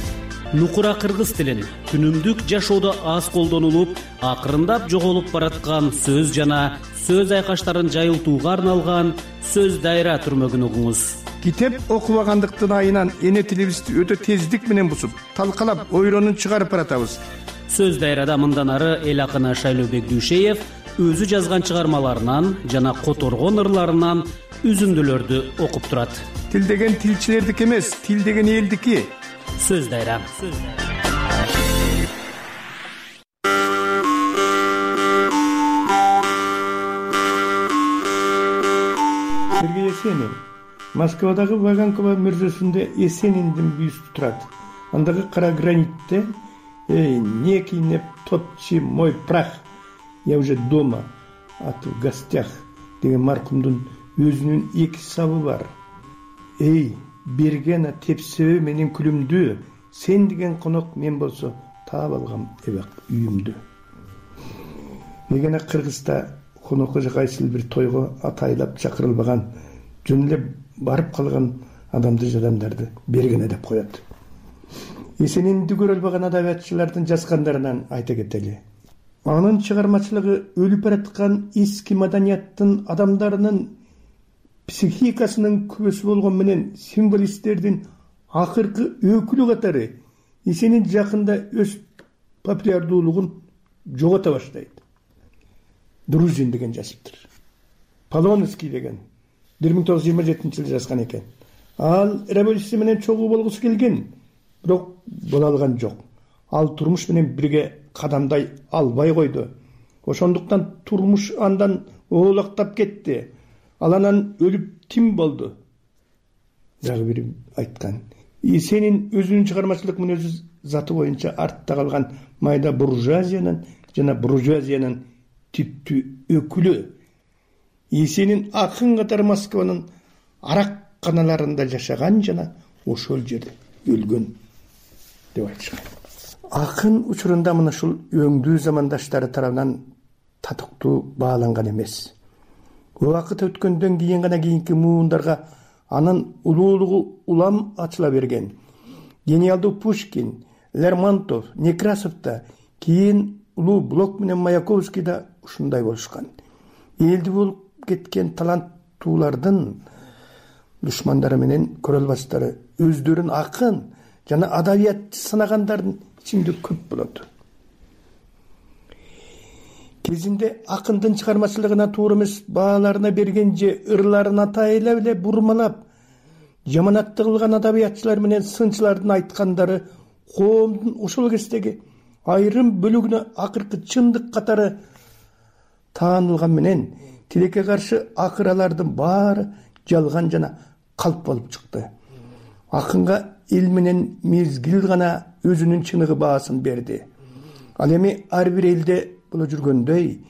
Нукура кыргыз тилин күнүмдүк жашоодо аз колдонулуп, акырындап жоголуп бараткан сөз жана сөз айкаштарын жайылтууга арналган сөз дайра түрмөгүн угуңуз. Китеп окубагандыктын айынан эне тилибизди өтө тездик менен бусуп, талкалап, ойронун чыгарып баратабыз. Сөз дайрада мындан ары эл акыны Шайлообек Дүйшеев өзү жазган чыгармаларынан жана которгон ырларынан үзүндүлөрдү окуп турат. Тил деген тилчилердики эмес, тил деген элдики. Сөз дайра. Сергей Есенин Москвадагы Ваганкова мөрзөсүндө Эсениндин бюсту турат. Андагы кара гранитте «Эй, не кинеп топчи мой прах, я уже дома, а ты в гостях» деген маркумдун өзүнүн эки сабы бар. «Эй, берген тепсебе менин күлүмдү, сен деген конок мен болсо таап алгам эбак үйүмдү». Мегене Кыргызда конокко же кайсыл бир тойго атайлап чакырылбаган, жөн эле барып калган адамды жадамдарды бергене деп коет. Эсенинди көрө албаган адабиятчылардын жазгандарынан айта кетели. Анын чыгармачылыгы өлүп бараткан эски маданияттын адамдарынын психикасынын күбөсү болгон менен символисттердин акыркы өкүлү катары Эсенин жакында өз популярдуулугун жогото баштайт. Друзин деген жазыптыр. Полонский деген бир миң тогуз жүз жыйырма жетинчи жылы жазган экен. Ал революция менен чогуу болгусу келген, бирок боло алган жок. Ал турмуш менен бирге кадамдай албай койду. Ошондуктан турмуш андан оолактап кетти. Ал анан өлүп тим болду. Дагы бир айткан. Эсенин өзүнүн чыгармачылык мүнөзү заты боюнча артта калган майда буржуазиянын жана буржуазиянын типтүү өкүлү. Эсенин акын катары Москванын арак каналарында жашаган жана ошол жерде өлгөн деп айтышкан. Акын учурунда мына ушул өңдүү замандаштары тарабынан татыктуу бааланган эмес. Убакыт өткөндөн кийин гана кийинки муундарга анын улуулугу улам ачыла берген. Гениалдуу Пушкин, Лермонтов, Некрасовда, кийин улуу Блок менен Маяковский да ушундай болушкан. Элди болуп кеткен таланттуулардын душмандары менен көрө албастары өздөрүн акын жана адабиятчы санагандардын ичинде көп болот. Кезинде акындын чыгармачылыгына туура эмес бааларына берген же ырларын атайлап эле бурмалап, жаманатты кылган адабиятчылар менен сынчылардын айткандары коомдун ошол кездеги айрым бөлүгүнө акыркы чындык катары таанылган менен тилекке каршы акыралардын баары жалган жана калп болуп чыкты. Акынга эл менен мезгил гана өзүнүн чыныгы баасын берди. Ал эми ар бир элде боло жүргөндөй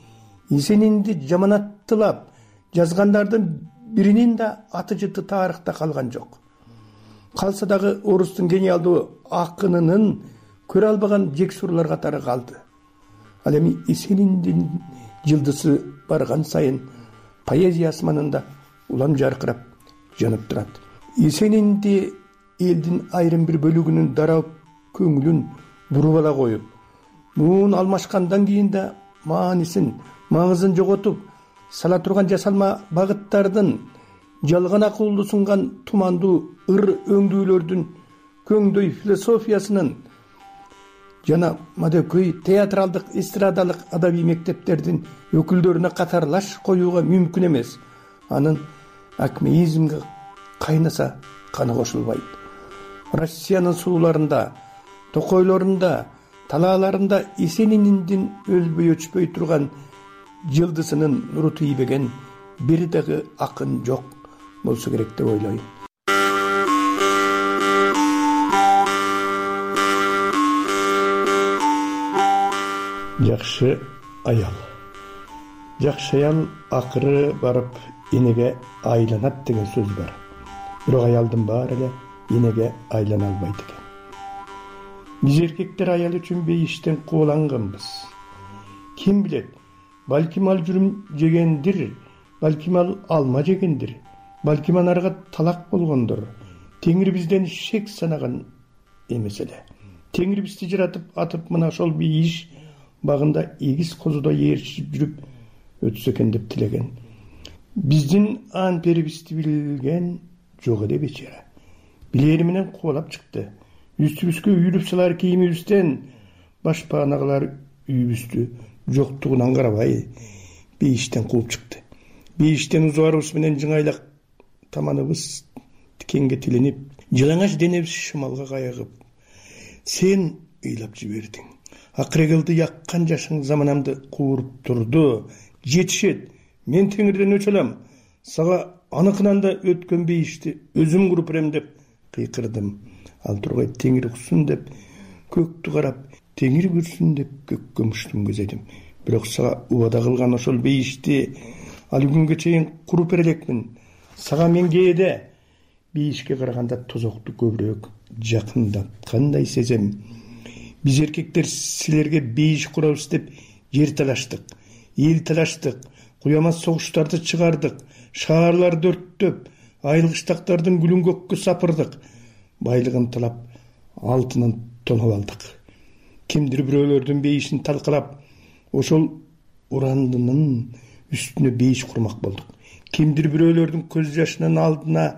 Эсенинди жаманаттылап жазгандардын биринин да аты жыты тарыхта калган жок. Калса дагы орустун гениалдуу акынынын көрө албаган жексурлар катары калды. Ал эми Эсениндин жылдызы барган сайын поэзия асманында улам жаркырап жанып турат. Эсенинди элдин айрым бир бөлүгүнүн дарап көңүлүн буруп ала коюп, муун алмашкандан кийин да маанисин, маңызын жоготуп, сала турган жасалма багыттардын, жалган акылды сунган тумандуу ыр өңдүүлөрдүн көңдөй философиясынын жана мадөкөй театралдык, эстрадалык адабий мектептердин өкүлдөрүнө катарлаш коюуга мүмкүн эмес. Анын акмеизмге кайнаса каны кошулбайт. Россиянын сууларында, токойлорунда, талааларында Эсенининдин өлбөй өчпөй турган жылдызынын нуру тийбеген бир дагы акын жок болсо керек деп ойлойм. Жакшы аял. Жакшы аял акыры барып энеге айланат деген сөз бар. Бирок аялдын баары эле энеге айлана албайт экен. Биз эркектер аял үчүн бейиштен кууланганбыз. Ким билет, балким ал жүрүм жегендир, балким ал алма жегендир, балким анарга талак болгондур. Теңир бизден шек санаган эмес эле. Теңир бизди жаратып атып мына ошол бейиш багында эгиз козудо ээрчип жүрүп өтсө экен деп тилеген. Биздин ан перибизди билген жок эле бечара. Билери менен кубалап чыкты. Үстүбүзгө үйүлүп салар кийимибизден башпаанагылар үйүбүздү жоктугунан карабай бейиштен кууп чыкты. Бейиштен узубарыбыз менен жыңайлак таманыбыз тикенге тиленип, жылаңач денебиз шымалга кайыгып, сен ыйлап жибердиң. Акырегылды яккан жашың заманамды кууруп турду. Жетишет, мен теңирден өч алам. Сага аныкынан да өткөн бейишти өзүм куруп берем деп кыйкырдым. Ал тургай теңир уксун деп көктү карап, теңир көрсүн деп көккө муштум көзөйдүм. Бирок сага убада кылган ошол бейишти али күнгө чейин куруп бере элекмин. Сага мен кээде бейишке караганда тозокту көбүрөөк жакындаткандай сезем. Биз эркектер силерге бейиш курабыз деп жер талаштык, эл талаштык, куямас согуштарды чыгардык, шаарларды өрттөп, айылгыштактардын гүлүн көккө сапырдык, байлыгын талап, алтынын тоноп алдык. Кимдир бирөөлөрдүн бейишин талкалап, ошол урандынын үстүнө бейиш курмак болдук. Кимдир бирөөлөрдүн көз жашынын алдына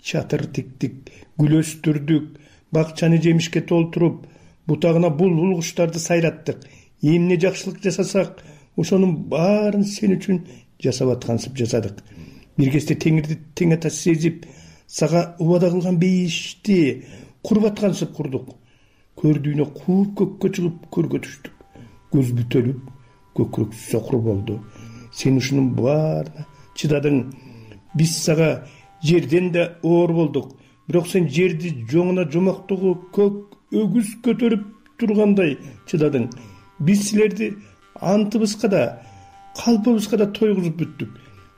чатыр тиктик, гүл өстүрдүк, бакчаны жемишке толтуруп, бутагына булбул куштарды сайраттык. Эмне жакшылык жасасак, ошонун баарын сен үчүн жасап аткансып жасадык. Бир кезде теңирди тең ата сезип, сага убада кылган бейишти куруп аткансып курдук. Көрдүүнө кууп көккө чыгып көргө түштүк. Көз бүтөлүп, көкүрөк сокур болду. Сен ушунун баарына чыдадың. Биз сага жерден да оор болдук. Бирок сен жерди жоңуна жомоктогу көк өгүз көтөрүп тургандай чыдадың. Биз силерди антыбызга да, калпыбызга да тойгузуп бүттүк.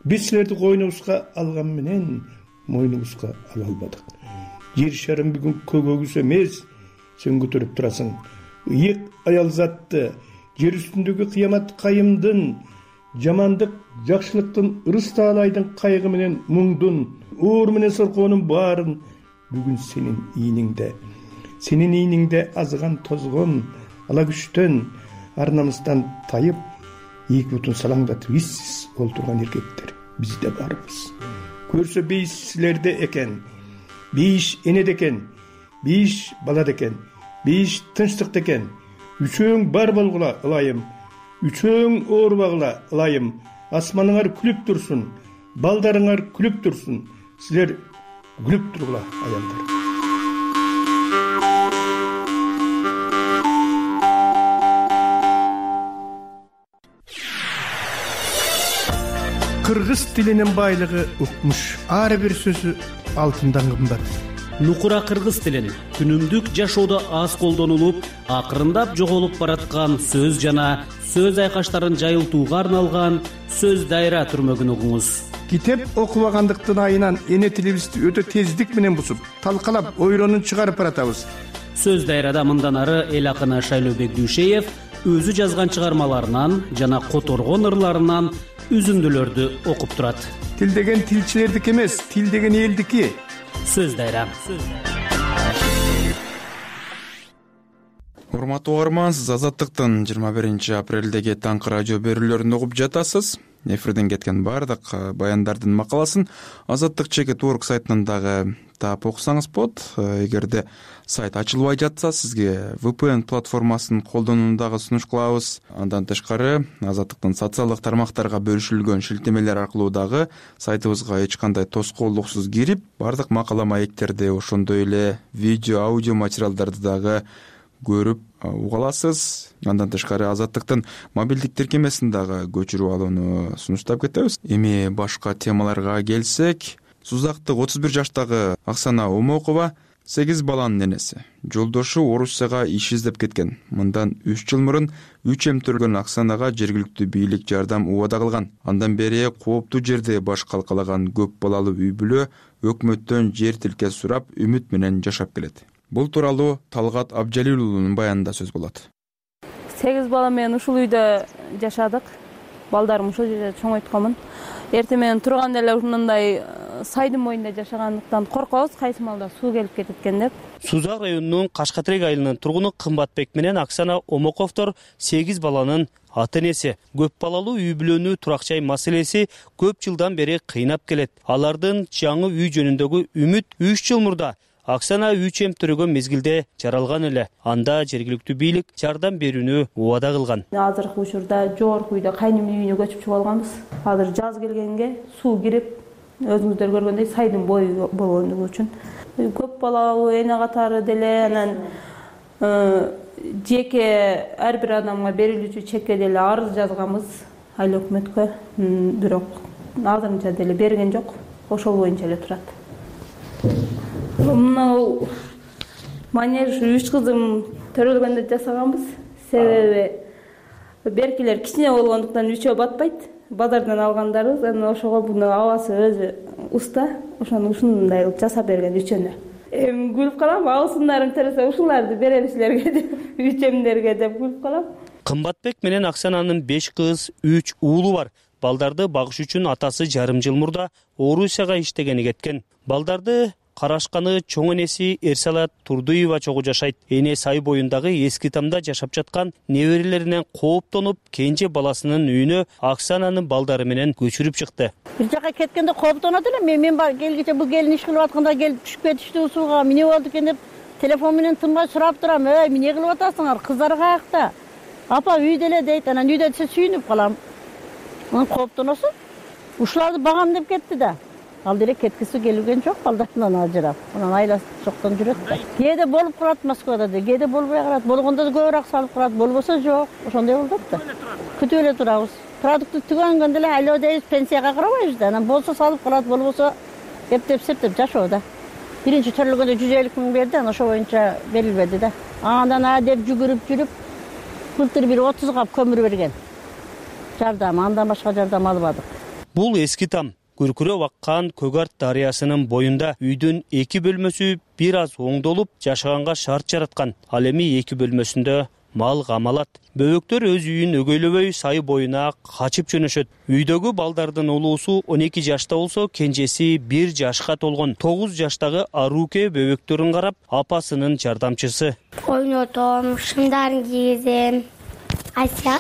Биз силерди койнубузга алган менен мойнубузга ала албадык. Жер шарым бүгүн көк өгүз эмес, сен көтөрүп турасың. Ыйык аял затты, жер үстүндөгү кыямат кайымдын, жамандык, жакшылыктын, ырыс таалайдын кайгы менен муңдун, оор менен соркоонун баарын бүгүн сенин ийниңде. Сенин ийниңде азган тозгон, ала күчтөн, ар намыстан тайып, эки бутун салаңдатып иссиз олтурган эркектер бизде барбыз. Көрсө бейиш силерде экен, бейиш энеде экен, бейиш балада экен, бейиш тынчтыкта экен. Үчөөң бар болгула ылайым, үчөөң оорубагыла ылайым. Асманыңар күлүп турсун, балдарыңар күлүп турсун. Силер күлүп тургула аялдар. Кыргыз тилинин байлыгы укмуш. Ар бир сөзү алтындан кымбат. Нукура кыргыз тилин күнүмдүк жашоодо аз колдонулуп, акырындап жоголуп бараткан сөз жана сөз айкаштарын жайылтууга арналган сөз дайра түрмөгүн угуңуз. Китеп окубагандыктын айынан эне тилибизди өтө тездик менен бусуп, талкалап, ойронун чыгарып баратабыз. Сөз дайрада мындан ары эл акыны Шайлообек Дүйшеев өзү жазган чыгармаларынан жана которгон ырларынан үзүндүлөрдү окуп турат. Тил деген тилчилердики эмес, тил деген элдики. Сөз дайра. Урматтуу угарман, сиз Азаттыктын жыйырма биринчи апрелдеги таңкы радио берүүлөрүн угуп жатасыз. Эфирден кеткен баардык баяндардын макаласын Азаттык чекит точка орг сайтынан дагы таап окусаңыз болот. Эгерде сайт ачылбай жатса, сизге ви пи эн платформасын колдонууну дагы сунуш кылабыз. Андан тышкары Азаттыктын социалдык тармактарга бөлүшүлгөн шилтемелер аркылуу дагы сайтыбызга эч кандай тоскоолдуксуз кирип, баардык макала маектерди, ошондой эле видео, аудио материалдарды дагы көрүп уга аласыз. Андан тышкары Азаттыктын мобилдик тиркемесин дагы көчүрүп алууну сунуштап кетебиз. Эми башка темаларга келсек, Сузактык отуз бир жаштагы Оксана Омокова сегиз баланын энеси. Жолдошу Орусияга иш издеп кеткен. Мындан үч жыл мурун үч эм төргөн Оксанага жергиликтүү бийлик жардам убада кылган. Андан бери кооптуу жерде баш калкалаган көп балалуу үй бүлө өкмөттөн жер тилке сурап, үмүт менен жашап келет. Бул тууралуу Талгат Абжалил уулунун баянында сөз болот. сегиз бала менен ушул үйдө жашадык. Балдарым ушул жерде чоңойтконмун. Эртең менен турганда эле ушундай сайдын боюнда жашагандыктан коркобуз, кайсы маалда суу келип кетет экен деп. Сузак районунун Кашкатерек айылынын тургуну Кымбатбек менен Оксана Омоковдор сегиз баланын ата энеси. Көп балалуу үй бүлөнү турак жай маселеси көп жылдан бери кыйнап келет. Алардын жаңы үй жөнүндөгү үмүт үч жыл мурда Оксана үч эм төрөгөн мезгилде жаралган эле. Анда жергиликтүү бийлик жардам берүүнү убада кылган. Азыркы учурда жогорку үйдө кайнымдын үйүнө көчүп чыгып алганбыз. Азыр жаз келгенге суу кирип, өзүңүздөр көргөндөй сайдын бою болгондугу үчүн көп балалуу эне катары деле, анан жеке ар бир адамга берилүүчү чекке деле арыз жазганбыз айыл өкмөткө, бирок азырынча деле берген жок. ошол боюнча эле турат. Мына манеж үч кызым төрөлгөндө жасаганбыз. Себеби беркилер кичине болгондуктан үчөө батпайт. Базардан алгандарыбыз, анан ошого буну абасы өзү уста, ошону ушундай кылып жасап берген үчөнө. Эми күлүп калам, абысындарым тересе ушуларды берем силерге деп, үчөмдерге деп күлүп калам. Кымбатбек менен Аксананын беш кыз, үч уулу бар. Балдарды багыш үчүн атасы жарым жыл мурда Орусияга иштегени кеткен. Балдарды карашканы чоң энеси Эрсалат Турдуева чогуу жашайт. Эне Сай боюндагы эски тамда жашап жаткан неберелеринен кооптонуп, кенже баласынын үйүнө Аксананын балдары менен көчүрүп чыкты. Бир жака кеткенде кооптонот элем. Мен мен келгиче бул келин иш кылып атканда келип түшүп кетиштүү сууга. Эмне болду экен деп телефон менен тынбай сурап турам. Эй, эмне кылып атасыңар? Кыздар каякта? Апа үйдө эле дейт. Анан үйдө десе сүйүнүп калам. Анан кооптоносуң. Ушуларды багам деп кетти да. Ал деле кеткиси келген жок, балдарынан ажырап. Анан айласы жоктон жүрөт да. Кээде болуп калат Москвада да, кээде болбой калат. Болгондо да көбүрөөк салып калат, болбосо жок. Ошондой болот да. Күтүп эле турабыз. Продукты түгөнгөндө эле айлоо дейбиз, пенсияга карабайбыз да. Анан болсо салып калат, болбосо эптеп септеп жашоо да. Биринчи төрөлгөндө жүз элүү миң берди, анан ошо боюнча берилбеди да. Андан а деп жүгүрүп жүрүп, былтыр бир отуз кап көмүр берген. Жардам, андан башка жардам албадык. Бул эски там. Күркүрөп аккан Көгарт дарыясынын боюнда үйдүн эки бөлмөсү бир аз оңдолуп жашаганга шарт жараткан. Ал эми эки бөлмөсүндө мал камалат. Бөбөктөр өз үйүн өгөйлөбөй Сай боюна качып жөнөшөт. Үйдөгү балдардын улуусу он эки жашта болсо, кенжеси бир жашка толгон. тогуз жаштагы Аруке бөбөктөрүн карап, апасынын жардамчысы. Ойнотом, шымдарын кийгизем. Ася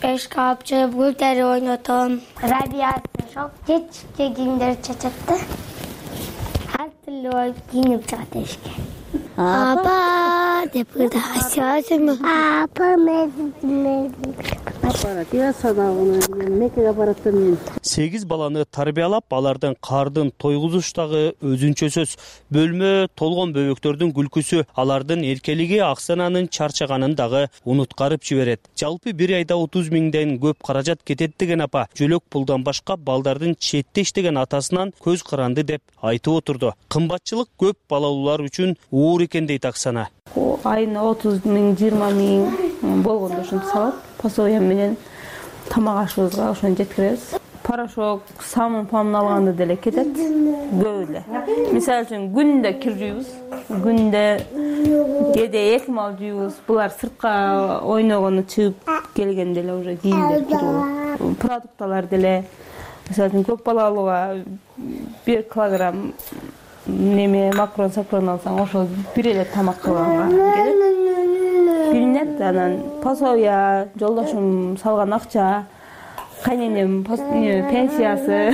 беш капчы гүлдери ойнотом. Рабиясы жок, жетишке кийимдер чачат да. Ар түрлүү кийинип чыгат эшикке. Апа деп кырда Асясың. Апа мен сегиз баланы тарбиялап, алардын кардын тойгузуштагы өзүнчө сөз. Бөлмө толгон бөбөктөрдүн күлкүсү, алардын эркелиги Аксананын чарчаганын дагы унуткарып жиберет. Жалпы бир айда отуз миңден көп каражат кетет деген апа, жөлөк пулдан башка балдардын четте иштеген атасынан көз каранды деп айтып отурду. Кымбатчылык көп балалуулар үчүн оор экен дейт Аксана. Айына отуз миң, жыйырма миң болгондо ушинтип салат. Пособие менен тамак ашыбызга ошону жеткиребиз. Порошок, самын памын алганда деле кетет. Көп эле. Мисалы үчүн күндө кир жуйбуз. Күндө кээде эки мал жуйбуз. Булар сыртка ойногону чыгып келгенде эле уже кийимдер кирип. Продукталар деле мисалы үчүн көп балалууга бир килограмм неме макрон сакрон алсаң, ошол бир эле тамак кылганга келет. Билинет, анан пособия, жолдошум салган акча, кайненем пенсиясы,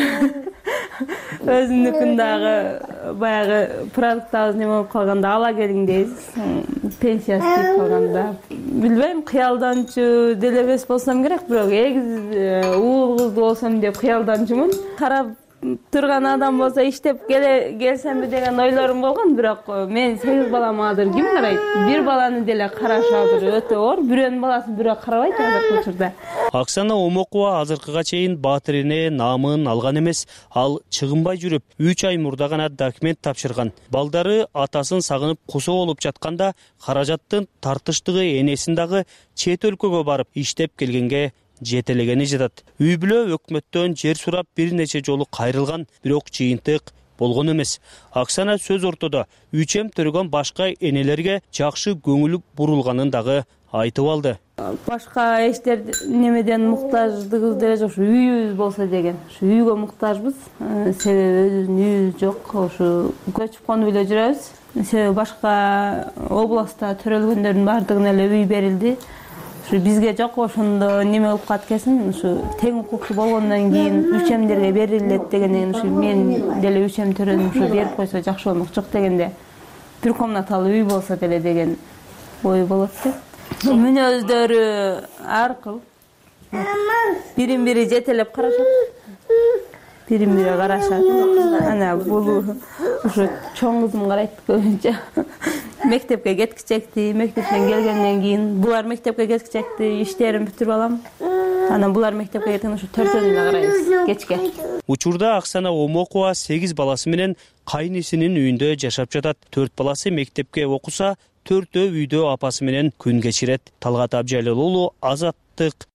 өзүнүкүн дагы баягы продуктабыз неме болуп калганда ала келиң дейбиз. Пенсиясы кетип калганда. Билбейм, кыялданчу деле эмес болсом керек, бирок эгиз уул кызды болсом деп кыялданчумун. Карап турган адам болсо иштеп келсемби деген ойлорум болгон, бирок мен сегиз балам азыр ким карайт? Бир баланы деле караш азыр өтө оор. Бирөөнүн баласын бирөө карабайт азыркы учурда. Аксана Омокова азыркыга чейин Баатырине наамын алган эмес. Ал чыгынбай жүрүп, үч ай мурда гана документ тапшырган. Балдары атасын сагынып кусо болуп жатканда каражаттын тартыштыгы энесин дагы чет өлкөгө барып иштеп келгенге жетелегени жатат. Үй бүлө өкмөттөн жер сурап бир нече жолу кайрылган, бирок жыйынтык болгон эмес. Аксана сөз ортодо үчөм төргөн башка энелерге жакшы көңүл бурулганын дагы айтып алды. Башка эштер немеден муктаждыгыбыз деле жок, ушу үйүбүз болсо деген. Ушу үйгө муктажбыз. Себеби өзүбүздүн үйүбүз жок, ушу көчүп конуп эле жүрөбүз. Себеби башка областта төрөлгөндөрдүн баардыгына эле үй берилди. Бизге жок, ошондо неме болуп калат экенсиң, ушу тең укуктуу болгондон кийин үчөмдерге берилет дегенден ушу мен деле үчөм төрөдүм, ушу берип койсо жакшы болмок жок дегенде бир комнаталуу үй болсо деле деген ой болот деп. Мүнөздөрү ар кыл. Бирин бири жетелеп карашат. Бирин бири карашат. Ана бул ушу чоң кызым карайт көбүнчө. Мектепке кеткичекти, мектептен келгенден кийин булар мектепке кеткичекти, иштерин бүтүрүп алам. Анан булар мектепке кеткенде ушу төртөөнү эле карайбыз кечке. Учурда Аксана Омокова сегиз баласы менен кайнисинин үйүндө жашап жатат. Төрт баласы мектепке окуса, төртөө үйдө апасы менен күн кечирет. Талгат Абжалил уулу, Азаттык.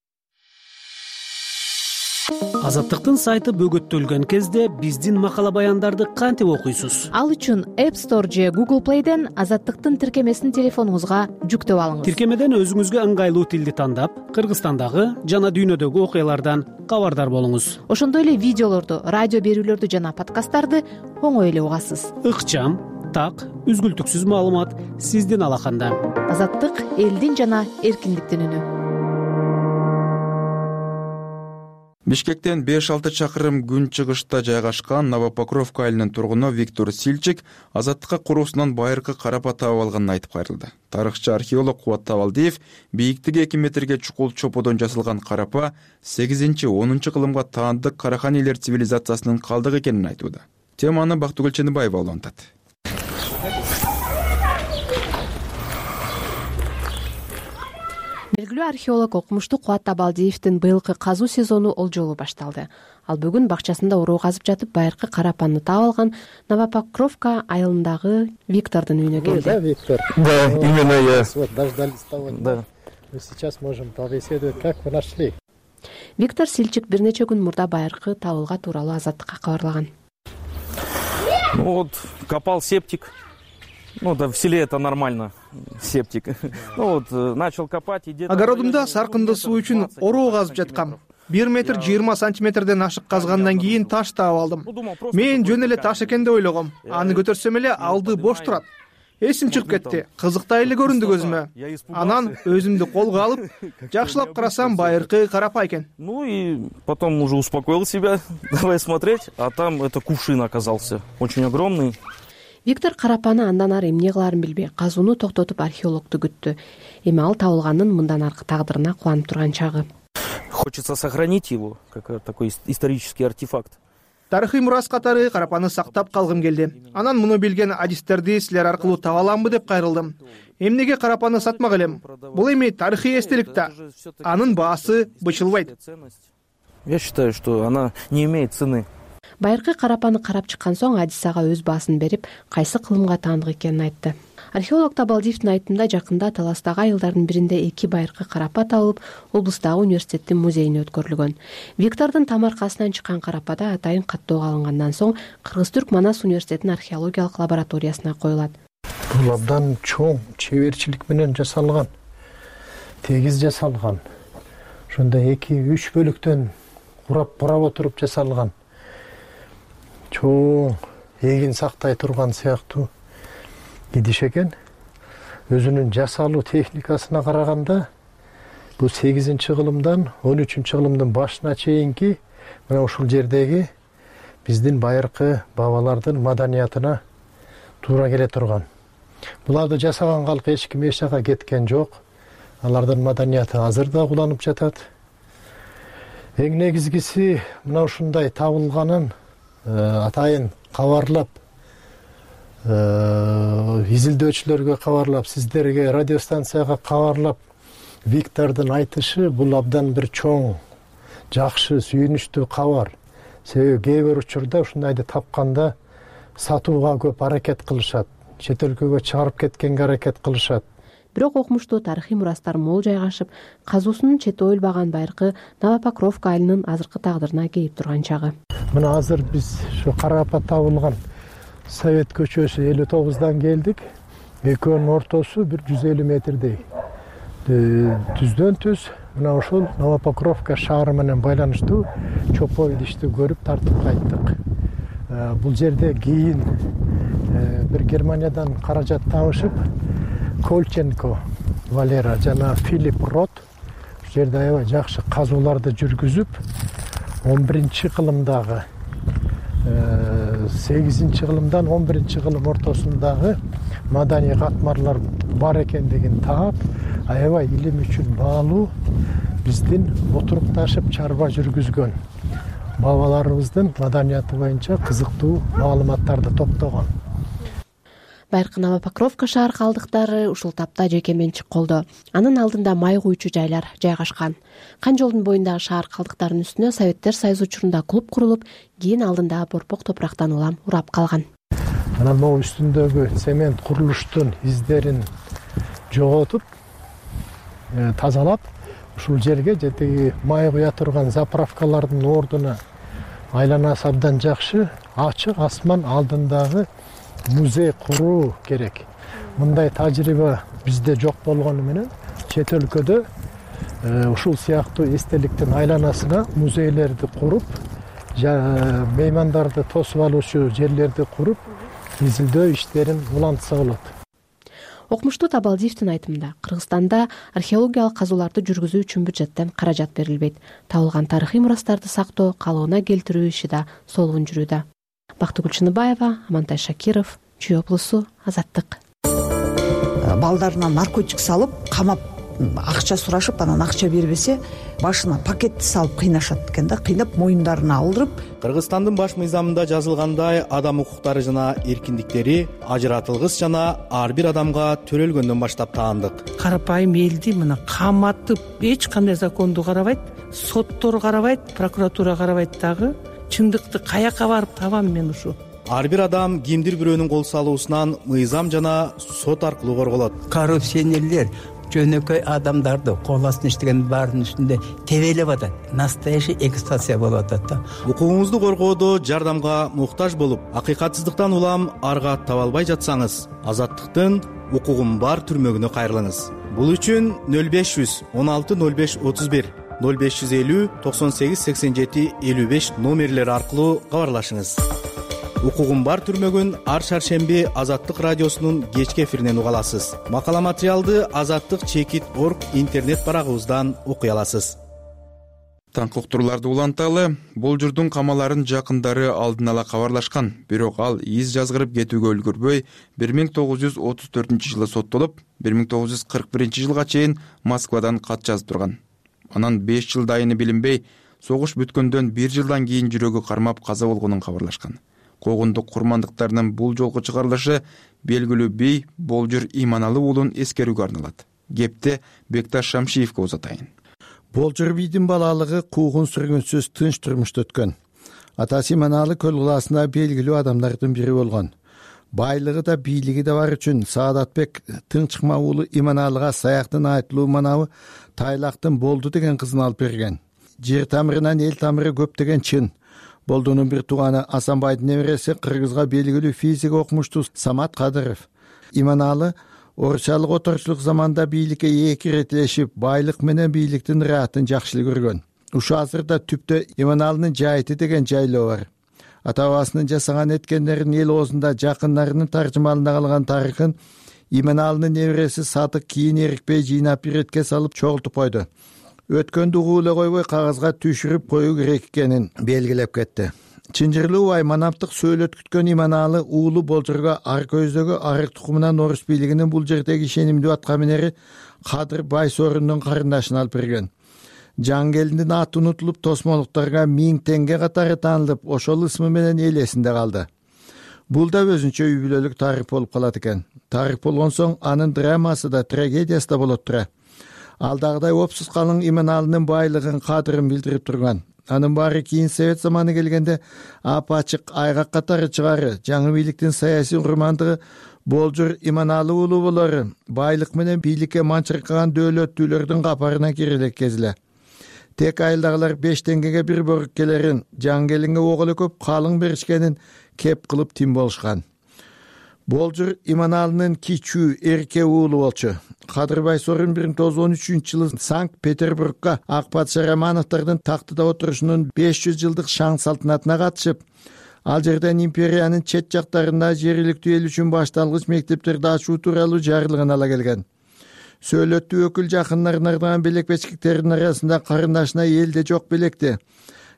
Азаттыктын сайты бөгөттөлгөн кезде биздин макала баяндарды кантип окуйсуз? Ал үчүн App Store же Google Play'ден Азаттыктын тиркемесин телефонуңузга жүктөп алыңыз. Тиркемеден өзүңүзгө ыңгайлуу тилди тандап, Кыргызстандагы жана дүйнөдөгү окуялардан кабардар болуңуз. Ошондой эле видеолорду, радио берүүлөрдү жана подкасттарды оңой эле угасыз. Ыкчам, так, үзгүлтүксүз маалымат сиздин алаканда. Азаттык элдин жана эркиндиктин үнү. Бишкектен беш алты чакырым күн чыгышта жайгашкан Новопокровка айылынын тургуну Виктор Сильчик Азаттыкка куруусунан байыркы карапа таап алганын айтып кайрылды. Тарыхчы археолог Кубат Табалдиев бийиктиги эки метрге чукул чоподон жасалган карапа сегизинчи онунчу кылымга таандык Караханилер цивилизациясынын калдыгы экенин айтууда. Теманы Бактыгүл Ченибаева улантат. Белгилүү археолог окумуштуу Кубат Табалдиевдин быйылкы казуу сезону олжолу башталды. Ал бүгүн бакчасында уруу казып жатып байыркы карапаны таап алган Новопокровка айылындагы Виктордун үйүнө келди. Да, Виктор. Да, именно я. Вот дождались того. Да. Мы сейчас можем побеседовать, как вы нашли. Виктор Сильчик бир нече күн мурда байыркы табылга тууралуу Азаттыкка кабарлаган. Ну вот, копал септик. Ну да, в селе это нормально, септик. Ну вот, начал копать и где-то... Огородумда саркынды суу үчүн ороо казып жаткам. бир метр жыйырма сантиметрден ашык казгандан кийин таш таап алдым. Мен жөн эле таш экен деп ойлогом. Аны көтөрсөм эле алды бош турат. Эсим чыгып кетти. Кызыктай эле көрүндү көзүмө. Анан өзүмдү колго алып, жакшылап карасам байыркы карапа экен. Ну и потом уже успокоил себя, давай смотреть, а там это кувшин оказался, очень огромный. Виктор карапаны андан ары эмне кыларын билбей, казууну токтотуп археологду күттү. Эми ал табылганын мындан аркы тагдырына кубанып турган чагы. Хочется сохранить его, как такой исторический артефакт. Тарыхый мурас катары карапаны сактап калгым келди. Анан муну билген адистерди силер аркылуу таба аламбы деп кайрылдым. Эмнеге карапаны сатмак элем? Бул эми тарыхый эстелик да. Анын баасы бычылбайт. Я считаю, что она не имеет цены. Байыркы карапаны карап чыккан соң адис ага өз баасын берип, кайсы кылымга таандык экенин айтты. Археолог Табалдиевдин айтымында жакында Таластагы айылдардын биринде эки байыркы карапа табылып, облустагы университеттин музейине өткөрүлгөн. Виктордун тамаркасынан чыккан карапада атайын каттоого алынгандан соң Кыргыз-Түрк Манас университетинин археологиялык лабораториясына коюлат. Бул абдан чоң чеберчилик менен жасалган, тегиз жасалган. Ошондой эки үч бөлүктөн курап бурап отуруп жасалган. Чоң эгин сактай турган сыяктуу идиш экен. Өзүнүн жасалуу техникасына караганда бул сегизинчи кылымдан он үчүнчү кылымдын башына чейинки мына ушул жердеги биздин байыркы бабалардын маданиятына туура келе турган. Буларды жасаган калк эч ким эч жака кеткен жок. Алардын маданияты азыр да куланып жатат. Эң негизгиси мына ушундай табылганын атайын кабарлап, изилдөөчүлөргө кабарлап, сиздерге радиостанцияга кабарлап, Виктордун айтышы бул абдан бир чоң, жакшы, сүйүнүчтүү кабар. Себеби кээ бир учурда ушундайды тапканда сатууга көп аракет кылышат, чет өлкөгө чыгарып кеткенге аракет кылышат. Бирок окумуштуу тарыхый мурастар мол жайгашып, казуусунун чети оюлбаган байыркы Новопокровка айылынын азыркы тагдырына кейип турган чагы. Мына азыр биз ушу карапа табылган Совет көчөсү элүү тогуздан келдик. Экөөнүн ортосу бир жүз элүү метрдей. Түздөн түз мына ушул Новопокровка шаары менен байланыштуу чопо идишти көрүп тартып кайттык. Бул жерде кийин бир Германиядан каражат табышып, Колченко Валера жана Филипп Рот ушул жерде аябай жакшы казууларды жүргүзүп, он биринчи кылымдагы сегизинчи кылымдан он биринчи кылым ортосундагы маданий катмарлар бар экендигин таап, аябай илим үчүн баалуу биздин отурукташып чарба жүргүзгөн бабаларыбыздын маданияты боюнча кызыктуу маалыматтарды топтогон. Байыркы Новопокровка шаар калдыктары ушул тапта жеке менчик колдо. Анын алдында май куючу жайлар жайгашкан. Кан жолдун боюндагы шаар калдыктарынын үстүнө Советтер Союзу учурунда клуб курулуп, кийин алдында борпок топурактан улам урап калган. Анан могу үстүндөгү цемент курулуштун издерин жоготуп, тазалап, ушул жерге жетеги май куя турган заправкалардын ордуна айланасы абдан жакшы, ачык асман алдындагы музей куруу керек. Мындай тажрыйба бизде жок болгону менен чет өлкөдө ушул сыяктуу эстеликтин айланасына музейлерди куруп, меймандарды тосуп алуучу жерлерди куруп, изилдөө иштерин улантса болот. Окумуштуу Табалдиевдин айтымында, Кыргызстанда археологиялык казууларды жүргүзүү үчүн бюджеттен каражат берилбейт. Табылган тарыхый мурастарды сактоо, калыбына келтирүү иши да солуун жүрүүдө. Бактыгүл Чыныбаева, Амантай Шакиров, Чүй облусу, Азаттык. Балдарынан наркотик салып, камап, акча сурашып, анан акча бербесе, башына пакетти салып кыйнашат экен да, кыйнап моюндарына алдырып. Кыргызстандын баш мыйзамында жазылгандай, адам укуктары жана эркиндиктери ажыратылгыс жана ар бир адамга төрөлгөндөн баштап таандык. Карапайым элди мына каматып, эч кандай законду карабайт, соттор карабайт, прокуратура карабайт дагы. Чындыкты каяка барып табам мен ушу? Ар бир адам кимдир бирөөнүн кол салуусунан мыйзам жана сот аркылуу корголот. Коррупционерлер жөнөкөй адамдарды кол астына иштеген баардын үстүндө тебелеп атат. Настоящий эксплуатация болуп атат да. Укугуңузду коргоодо жардамга муктаж болуп, акыйкатсыздыктан улам арга таба албай жатсаңыз, Азаттыктын укугум бар түрмөгүнө кайрылыңыз. Бул үчүн нөл беш жүз он алты нөл беш отуз бир нөл беш жүз элүү токсон сегиз сексен жети элүү беш номерлери аркылуу кабарлашыңыз. Укугум бар түрмөгүн ар шаршемби Азаттык радиосунун кечки эфиринен уга аласыз. Макала материалды Азаттык чекит точка орг интернет барагыбыздан окуй аласыз. Таңкы уктурууларды уланталы, Болжурдун камаларын жакындары алдын ала кабарлашкан, бирок ал из жазгырып кетүүгө үлгүрбөй бир миң тогуз жүз отуз төртүнчү жылы соттолуп, бир миң тогуз жүз кырк биринчи жылга чейин Москвадан кат жазып турган. Анан беш жыл дайыны билинбей, согуш бүткөндөн бир жылдан кийин жүрөгү кармап каза болгонун кабарлашкан. Когундук курмандыктарынын бул жолку чыгарылышы белгилүү бий Болжур Иманалы уулун эскерүүгө арналат. Кепте Бекташ Шамшиевке узатайын. Болжур бийдин балалыгы куугун сүргүнсүз тынч турмушта өткөн. Атасы Иманалы көл кылаасында белгилүү адамдардын бири болгон. Байлыгы да бийлиги да бар үчүн Саадатбек Тынчыкма уулу Иманалыга Саяктын айтылуу манабы Тайлактын Болду деген кызын алып берген. Жер тамырынан эл тамыры көп деген чын. Болдунун бир тууганы Асанбайдын небереси Кыргызга белгилүү физик окумуштуу Самат Кадыров. Иманалы орусчалык оторчулук заманда бийликке эки ирет илешип, байлык менен бийликтин ыраатын жакшы көргөн. Ушу азырда түптө Иманалынын жайыты деген жайлоо бар. Ата бабасынын жасаган эткендерин эл оозунда жакындарынын таржымалында калган тарыхын Иманалынын небереси Садык кийин эрикпей жыйнап бир этке салып чогултуп койду. Өткөндү угуу эле койбой кагазга түшүрүп коюу керек экенин белгилеп кетти. Чынжырлуу бай манаптык сөйлөткүткөн Иманалы уулу Болжурга ар көздөгү арык тукумунан орус бийлигинин бул жердеги ишенимдүү аткаминери Кадыр Байсорундун карындашын алып берген. Жангелдин аты унутулуп, тосмолуктарга миң теңге катары таанылып, ошол ысмы менен эл эсинде калды. Бул да өзүнчө үй бүлөлүк тарых болуп калат экен. Тарых болгон соң анын драмасы да, трагедиясы да болот тура. Алдагыдай опсуз калың Иманалынын байлыгын, кадырын билдирип турган. Анын баары кийин Совет заманы келгенде апачык айгак катары чыгары, жаңы бийликтин саясий урмандыгы Болжур Иманалы уулу болору байлык менен бийликке манчыркаган дөөлөттүүлөрдүн капарына кире кезиле. Тек айылдагылар беш теңгеге бир бөрүк келерин, жаңгелинге ок эле көп калың беришкенин кеп кылып тим болушкан. Болжур Иманалынын кичүү эрке уулу болчу. Кадыр Байсорун бир миң тогуз жүз он үчүнчү жылы Санкт-Петербургга ак патша Романовдордун тактыда отурушунун беш жүз жылдык шаң салтанатына катышып, ал жерден империянын чет жактарында жергиликтүү эл үчүн башталгыч мектептерди ачуу тууралуу жарлыгын ала келген. Сөөлөттүү өкүл жакындарына ардаган белек бечкектердин арасында карындашына элде жок белекти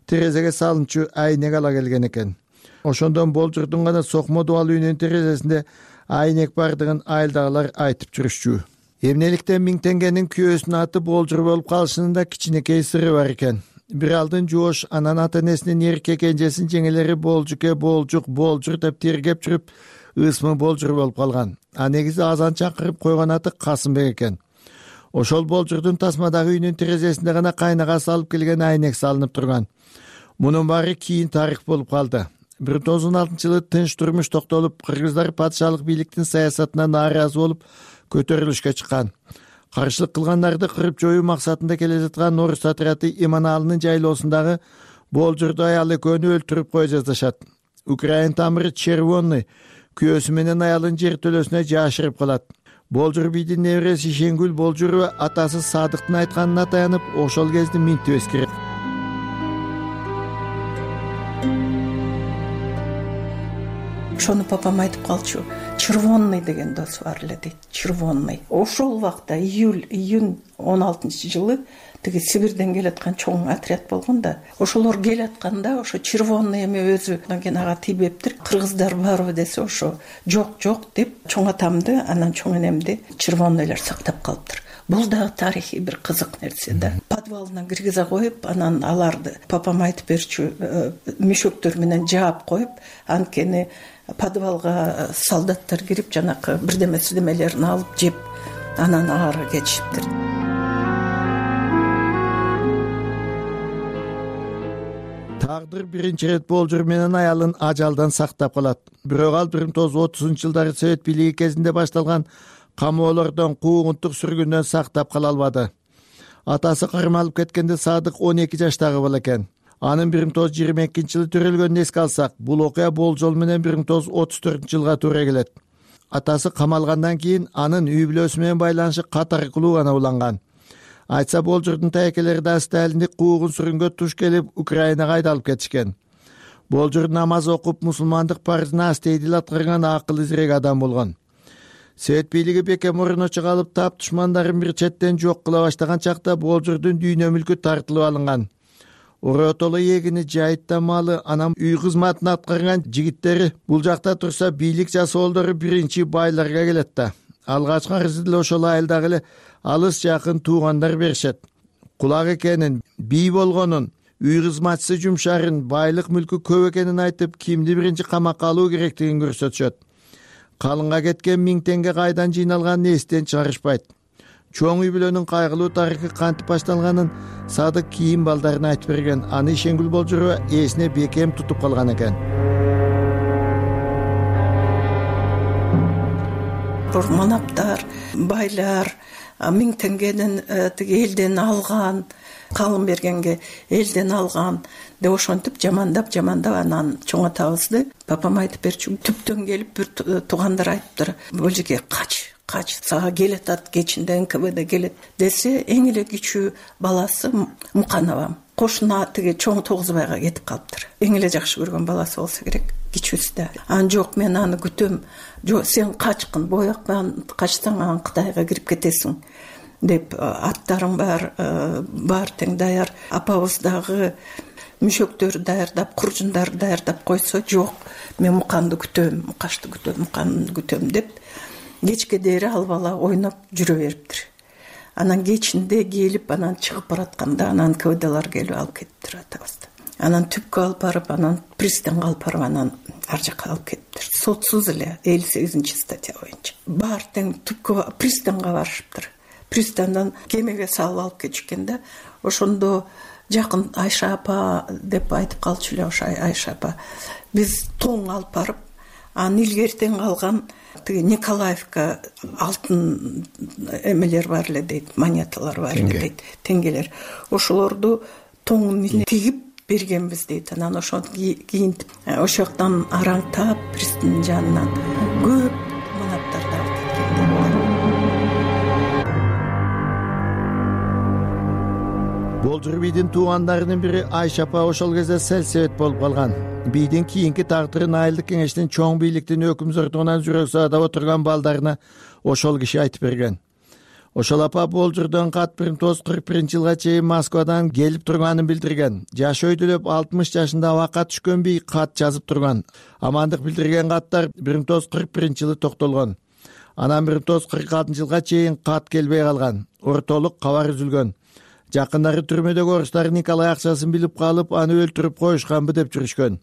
терезеге салынчу айнек ала келген экен. Ошондон Болжурдун гана сокмо дубал үйүнүн терезесинде айнек бардыгын айылдагылар айтып жүрүшчү. Эмнеликтен миң теңгенин күйөөсүнүн аты Болжур болуп калышынын да кичинекей сыры бар экен. Бир алдын жоош анан ата энесинин эрке кенжесин жеңелери Болжуке, Болжук, Болжур деп тергеп жүрүп, ысмы болжур болуп калган. А негизи азан чакырып койгон аты Касымбек экен. Ошол болжурдун тасмадагы үйүнүн терезесинде гана кайнагасы алып келген айнек салынып турган. Мунун баары кийин тарых болуп калды. бир миң тогуз жүз он алтынчы жылы тынч турмуш токтолуп, кыргыздар патшалык бийликтин саясатына нааразы болуп көтөрүлүшкө чыккан. Каршылык кылгандарды кырып жоюу максатында келе жаткан орус отряды Иманалынын жайлоосундагы болжурду аял экөөнү өлтүрүп кое жаздашат. Украин тамыры Червонный күйөөсү менен аялын жертөлөсүнө жашырып калат. Болжур бийдин небереси Шенгүл Болжурова атасы Садыктын айтканына таянып, ошол кезди минтип эскерет. Ошону папам айтып калчу. Червонный деген досу бар эле дейт. Червонный. Ошол убакта июль июнь он алтынчы жылы тиги Сибирден келаткан чоң отряд болгон да. Ошолор келатканда ошо Червонный эме өзү анан ага тийбептир. Кыргыздар барбы десе ошо жок жок деп чоң атамды анан чоң энемди Червонныйлар сактап калыптыр. Бул дагы тарыхый бир кызык нерсе да. Подвалына киргизе коюп, анан аларды папам айтып берчү, мешөктөр менен жаап коюп, анткени подвалга солдаттар кирип жанакы бирдеме сирдемелерин алып жеп, анан ары кетишиптир. Тагдыр биринчи ирет болжур менен аялын ажалдан сактап калат. Бирок ал бир миң тогуз жүз отузунчу жылдары Совет бийлиги кезинде башталган камоолордон, куугунтук сүргүндөн сактап кала албады. Атасы кармалып кеткенде Садык он эки жаштагы бала экен. Анын бир миң тогуз жүз жыйырма экинчи жылы төрөлгөнүн эске алсак, бул окуя болжол менен бир миң тогуз жүз отуз төртүнчү жылга туура келет. Атасы камалгандан кийин анын үй бүлөсү менен байланышы катаркылуу гана уланган. Айтса болжурдун тайкелери да Сталиндик куугун сүргөнгө туш келип, Украинага айдалып кетишкен. Болжур намаз окуп, мусулмандык парызына астейдил аткарган акыл изирек адам болгон. Совет бийлиги бекем мурун чыгалып, тап душмандарын бир четтен жок кыла баштаган чакта болжурдун дүйнө мүлкү тартылып алынган. Оротоло эгини, жайытта малы, анан үй кызматын аткарган жигиттери бул жакта турса, бийлик жасоолдору биринчи байларга келет да. Алгачкы арызды деле ошол айылдагы эле алыс жакын туугандар беришет. Кулак экенин, бий болгонун, үй кызматчысы жумшарын, байлык мүлкү көп экенин айтып, кимди биринчи камакка алуу керектигин көрсөтүшөт. Калынга кеткен миң теңге кайдан жыйналганын эстен чыгарышпайт. Чоң үй бүлөнүн кайгылуу тарыхы кантип башталганын Садык кийин балдарына айтып берген. Аны Шенгүл Болжурова эсине бекем тутуп калган экен. Манаптар, байлар миң теңгенин тиги элден алган, калын бергенге элден алган деп ошентип жамандап жамандап анан чоң атабызды папам айтып берчү. Түптөн келип бир туугандар айтыптыр, бул жерге кач, кач, сага келатат, кечинде эн ка бэ дэ келет десе, эң эле кичүү баласы Мукановам. Кошуна тиги чоң Тогузбайга кетип калыптыр. Эң эле жакшы көргөн баласы болсо керек, кичүүсү да. Ан жок, мен аны күтөм. Жок, сен качкын, боякпан, качсаң анан Кытайга кирип кетесиң деп, аттарың бар, бар тең даяр. Апабыз дагы мүшөктөрү даярдап, куржундарды даярдап койсо, жок, мен Муканды күтөм, Мукашты күтөм, Муканды күтөм деп, кечке дери ал бала ойноп жүрө бериптир. Анан кечинде келип, анан чыгып баратканда, анан ка бэ дэлар келип алып кетиптир атабызды. Анан түпкө алып барып, анан пристанга алып барып, анан ар жака алып кетиптир. Сотсуз эле элүү сегизинчи статья боюнча. Бар тең түпкө пристанга барышыптыр. Пристандан кемеге салып алып кетишкенде, ошондо жакын Айша апа деп айтып калчу эле, ошо Айша апа. Биз тоң алып барып, анан илгертен калган тиги Николаевка алтын эмелер бар эле дейт, монеталар бар эле дейт, теңгелер. Ошолорду тоңун тигип бергенбиз дейт. Анан ошону кийинтип, ошол жактан араңтап, пристандын жанынан көп манаптарды алып кеткен. Болжур бийдин туугандарынын бири Айша апа ошол кезде сел-себет болуп калган. Бийдин кийинки тагдырын айылдык кеңештин чоң бийликтин өкүмзөрдүгүнөн жүрөк саадап отурган балдарына ошол киши айтып берген. Ошол апа Болжурдон кат бир миң тогуз жүз кырк биринчи жылга чейин Москвадан келип турганын билдирген. Жашы өйдөлөп алтымыш жашында абакка түшкөн бий кат жазып турган. Амандык билдирген каттар бир миң тогуз жүз кырк биринчи жылы токтолгон. Анан бир миң тогуз жүз кырк алтынчы жылга чейин кат келбей калган. Ортолук кабар үзүлгөн. Жакындары түрмөдөгү орустар Николай акчасын билип калып, аны өлтүрүп коюшканбы деп жүрүшкөн.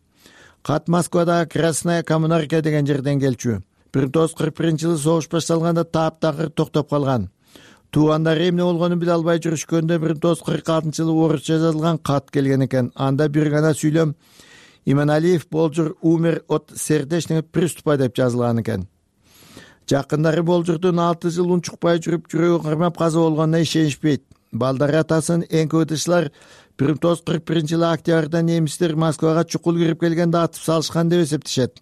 кат Москвадагы Красная Коммунарка деген жерден келчү. бир миң тогуз жүз кырк биринчи жылы согуш башталганда таптакыр токтоп калган. Туугандары эмне болгонун биле албай жүрүшкөндө бир миң тогуз жүз кырк алтынчы жылы орусча жазылган кат келген экен. Анда бир гана сүйлөм Иманалиев Болжур умер от сердечного приступа деп жазылган экен. Жакындары Болжурдун алты жыл унчукпай жүрүп жүрөгү кармап каза болгонуна ишенишпейт. Балдары атасын эн кэ вэ дчылар бир миң тогуз жүз кырк биринчи жылы октябрда немистер Москвага чукул кирип келгенде атып салышкан деп эсептешет.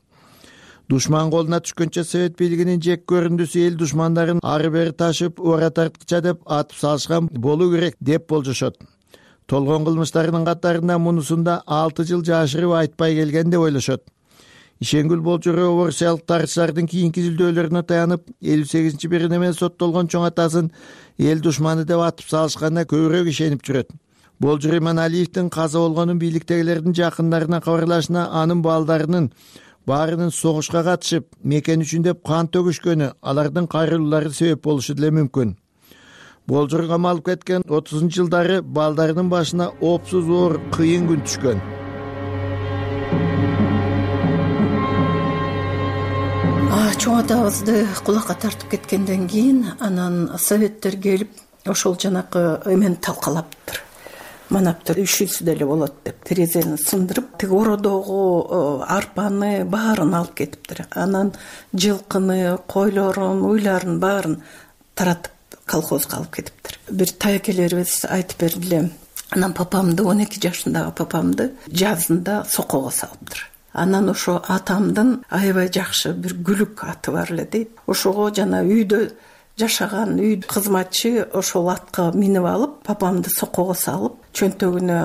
Душман колуна түшкөнчө совет бийлигинин жек көрүндүсү эл душмандарын ары бери ташып ора тарткыча деп атып салышкан болуу керек деп болжошот. Толгон кылмыштарынын катарында мунусунда алты жыл жашырып айтпай келген деп ойлошот. Ишенгүл Болжурова орусиялык тарыхчылардын кийинки изилдөөлөрүнө таянып, элүү сегизинчи берене менен соттолгон чоң атасын эл душманы деп атып салышканына көбүрөөк ишенип жүрөт. Болжур Иманалиевдин каза болгонун бийликтегилердин жакындарына кабарлашына анын балдарынын баарынын согушка катышып, мекен үчүн деп кан төгүшкөнү, алардын кайрылуулары себеп болушу деле мүмкүн. Болжур камалып кеткен отузунчу жылдары балдарынын башына опсуз оор кыйын күн түшкөн. Чоң атабызды кулакка тартып кеткенден кийин анан советтер келип ошол жанакы эмени талкалаптыр. Манаптыр үшүсү деле болот деп терезени сындырып, тиги ородогу арпаны баарын алып кетиптир. Анан жылкыны, койлорун, уйларын баарын таратып колхозго алып кетиптир. Бир таякелерибиз айтып бердиле. Анан папамды, он эки жашындагы папамды жазында сокого салыптыр. Анан ошо атамдын аябай жакшы бир күлүк аты бар эле дейт. Ошого жана үйдө жашаган үй кызматчы ошол атка минип алып, папамды сокого салып, чөнтөгүнө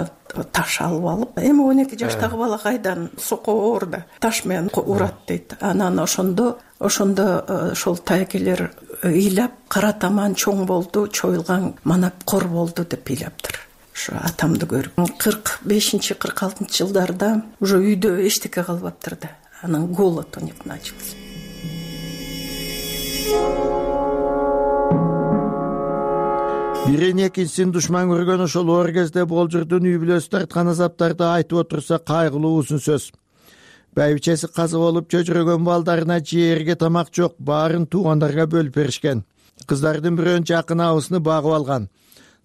таш алып алып, эми он эки жаштагы бала кайдан соко оорда таш менен урат дейт. Анан ошондо ошондо ошол таякелер ыйлап, кара таман чоң болду, чоюлган манап кор болду деп ыйлаптыр. Ошо атамды көрүп, кырк бешинчи кырк алтынчы жылдарда уже үйдө эчтеке калбаптыр да. Анан голод у них начался. Бирин экинчисин душман көргөн ошол оор кезде Болжурдун үй бүлөсү тарткан азаптарды айтып отурса кайгылуу узун сөз. Байбичеси каза болуп чөчүрөгөн балдарына жээрге тамак жок, баарын туугандарга бөлүп беришкен. Кыздардын бирөөнүн жакын абысыны багып алган.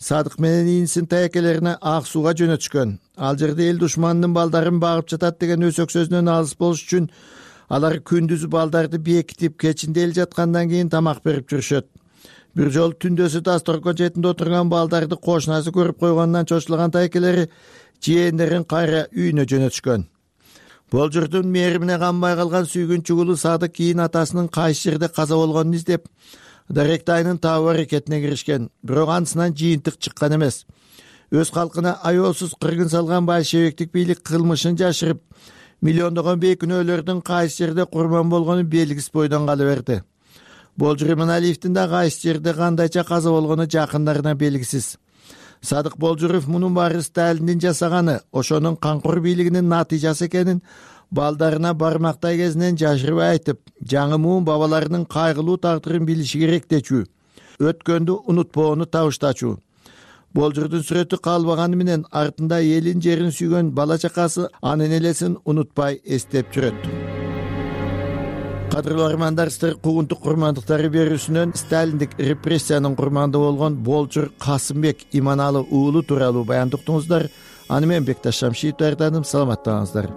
Садык менен ийинисин таякелерине ак сууга жөнөтүшкөн. Ал жерде эл душманынын балдарын багып жатат деген өсөк сөзүнөн алыс болуш үчүн алар күндүзү балдарды бекитип, кечинде эл жаткандан кийин тамак берип жүрүшөт. Бир жолу түндөсү дасторкон четинде отурган балдарды кошунасы көрүп койгонунан чочулаган таякелери жээндерин кайра үйүнө жөнөтүшкөн. Болжурдун мээримине канбай калган сүйгүнчү уулу Садык кийин атасынын кайсы жерде каза болгонун издеп, Даректи айнын табуу аракетине киришкен, бирок анысынан жыйынтык чыккан эмес. Өз калкына аеосуз кыргын салган большевиктик бийлик кылмышын жашырып, миллиондогон бейкүнөөлөрдүн кайсы жерде курман болгону белгисиз бойдон кала берди. Болжур Иманалиевдин да кайсы жерде кандайча каза болгону жакындарына белгисиз. Садык Болжуров мунун баары Сталиндин жасаганы, ошонун камкор бийлигинин натыйжасы экенин балдарына бармактай кезинен жашырбай айтып, жаңы муун бабаларынын кайгылуу тагдырын билиши керек дечү. Өткөндү унутпоону табыштачу. Болжурдун сүрөтү калбаганы менен артында элин жерин сүйгөн бала чакасы анын элесин унутпай эстеп жүрөт. Кадырлуу армандар, сиздер куугунтук курмандыктары берүүсүнөн сталиндик репрессиянын курманды болгон Болжур Касымбек Иманалы уулу тууралуу баянды уктуңуздар. Аны мен Бекташ Шамшиев даярдадым. Саламаттаңыздар.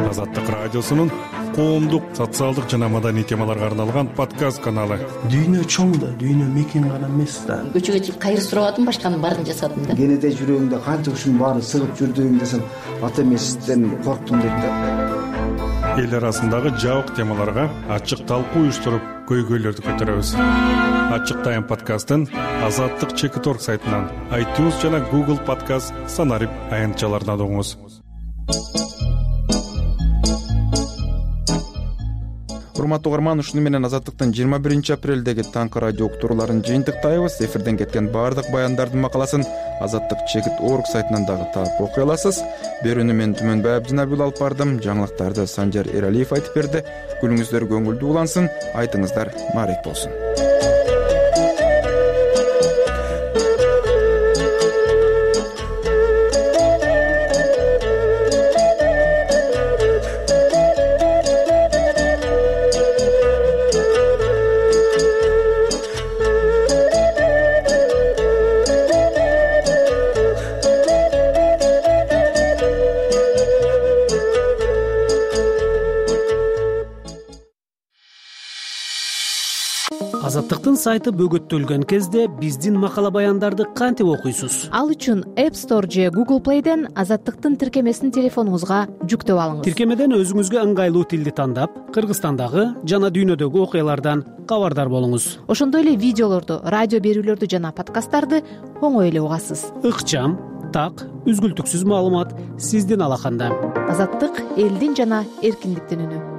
Азаттык радиосунун коомдук, социалдык жана маданий темаларга арналган подкаст каналы. Дүйнө чоң да, дүйнө мекен гана эмес да. Көчөгө чыгып кайыр сурабадым, башканын баарын жасадым да. Кенеде жүрөгүңдө канча ушунун баары сыгып жүрдүң десем, ата эмесизден корктум дейт да. Эл арасындагы жабык темаларга ачык талкуу уюштуруп, көйгөйлөрдү көтөрөбүз. Ачык тайм подкастын Азаттык чекит точка орг сайтынан, iTunes жана Google подкаст санарип аянтчаларынан угуңуз. Урматтуу угарман, ушуну менен Азаттыктын жыйырма биринчи апрелдеги таңкы радио уктурууларын жыйынтыктайбыз. Эфирден кеткен баардык баяндардын макаласын Азаттык чекит точка орг сайтынан дагы таап окуй аласыз. Берүүнү мен Түмөнбай Абдинабил алып бардым. Жаңылыктарды Санжар Эралиев айтып берди. Күнүңүздөр көңүлдүү улансын, айтыңыздар маарек болсун. Азаттыктын сайты бөгөттөлгөн кезде биздин макала баяндарды кантип окуйсуз? Ал үчүн App Store же Google Play'ден Азаттыктын тиркемесин телефонуңузга жүктөп алыңыз. Тиркемеден өзүңүзгө ыңгайлуу тилди тандап, Кыргызстандагы жана дүйнөдөгү окуялардан кабардар болуңуз. Ошондой эле видеолорду, радио берүүлөрдү жана подкасттарды оңой эле угасыз. Ыкчам, так, үзгүлтүксүз маалымат сиздин алаканда. Азаттык — элдин жана эркиндиктин үнү.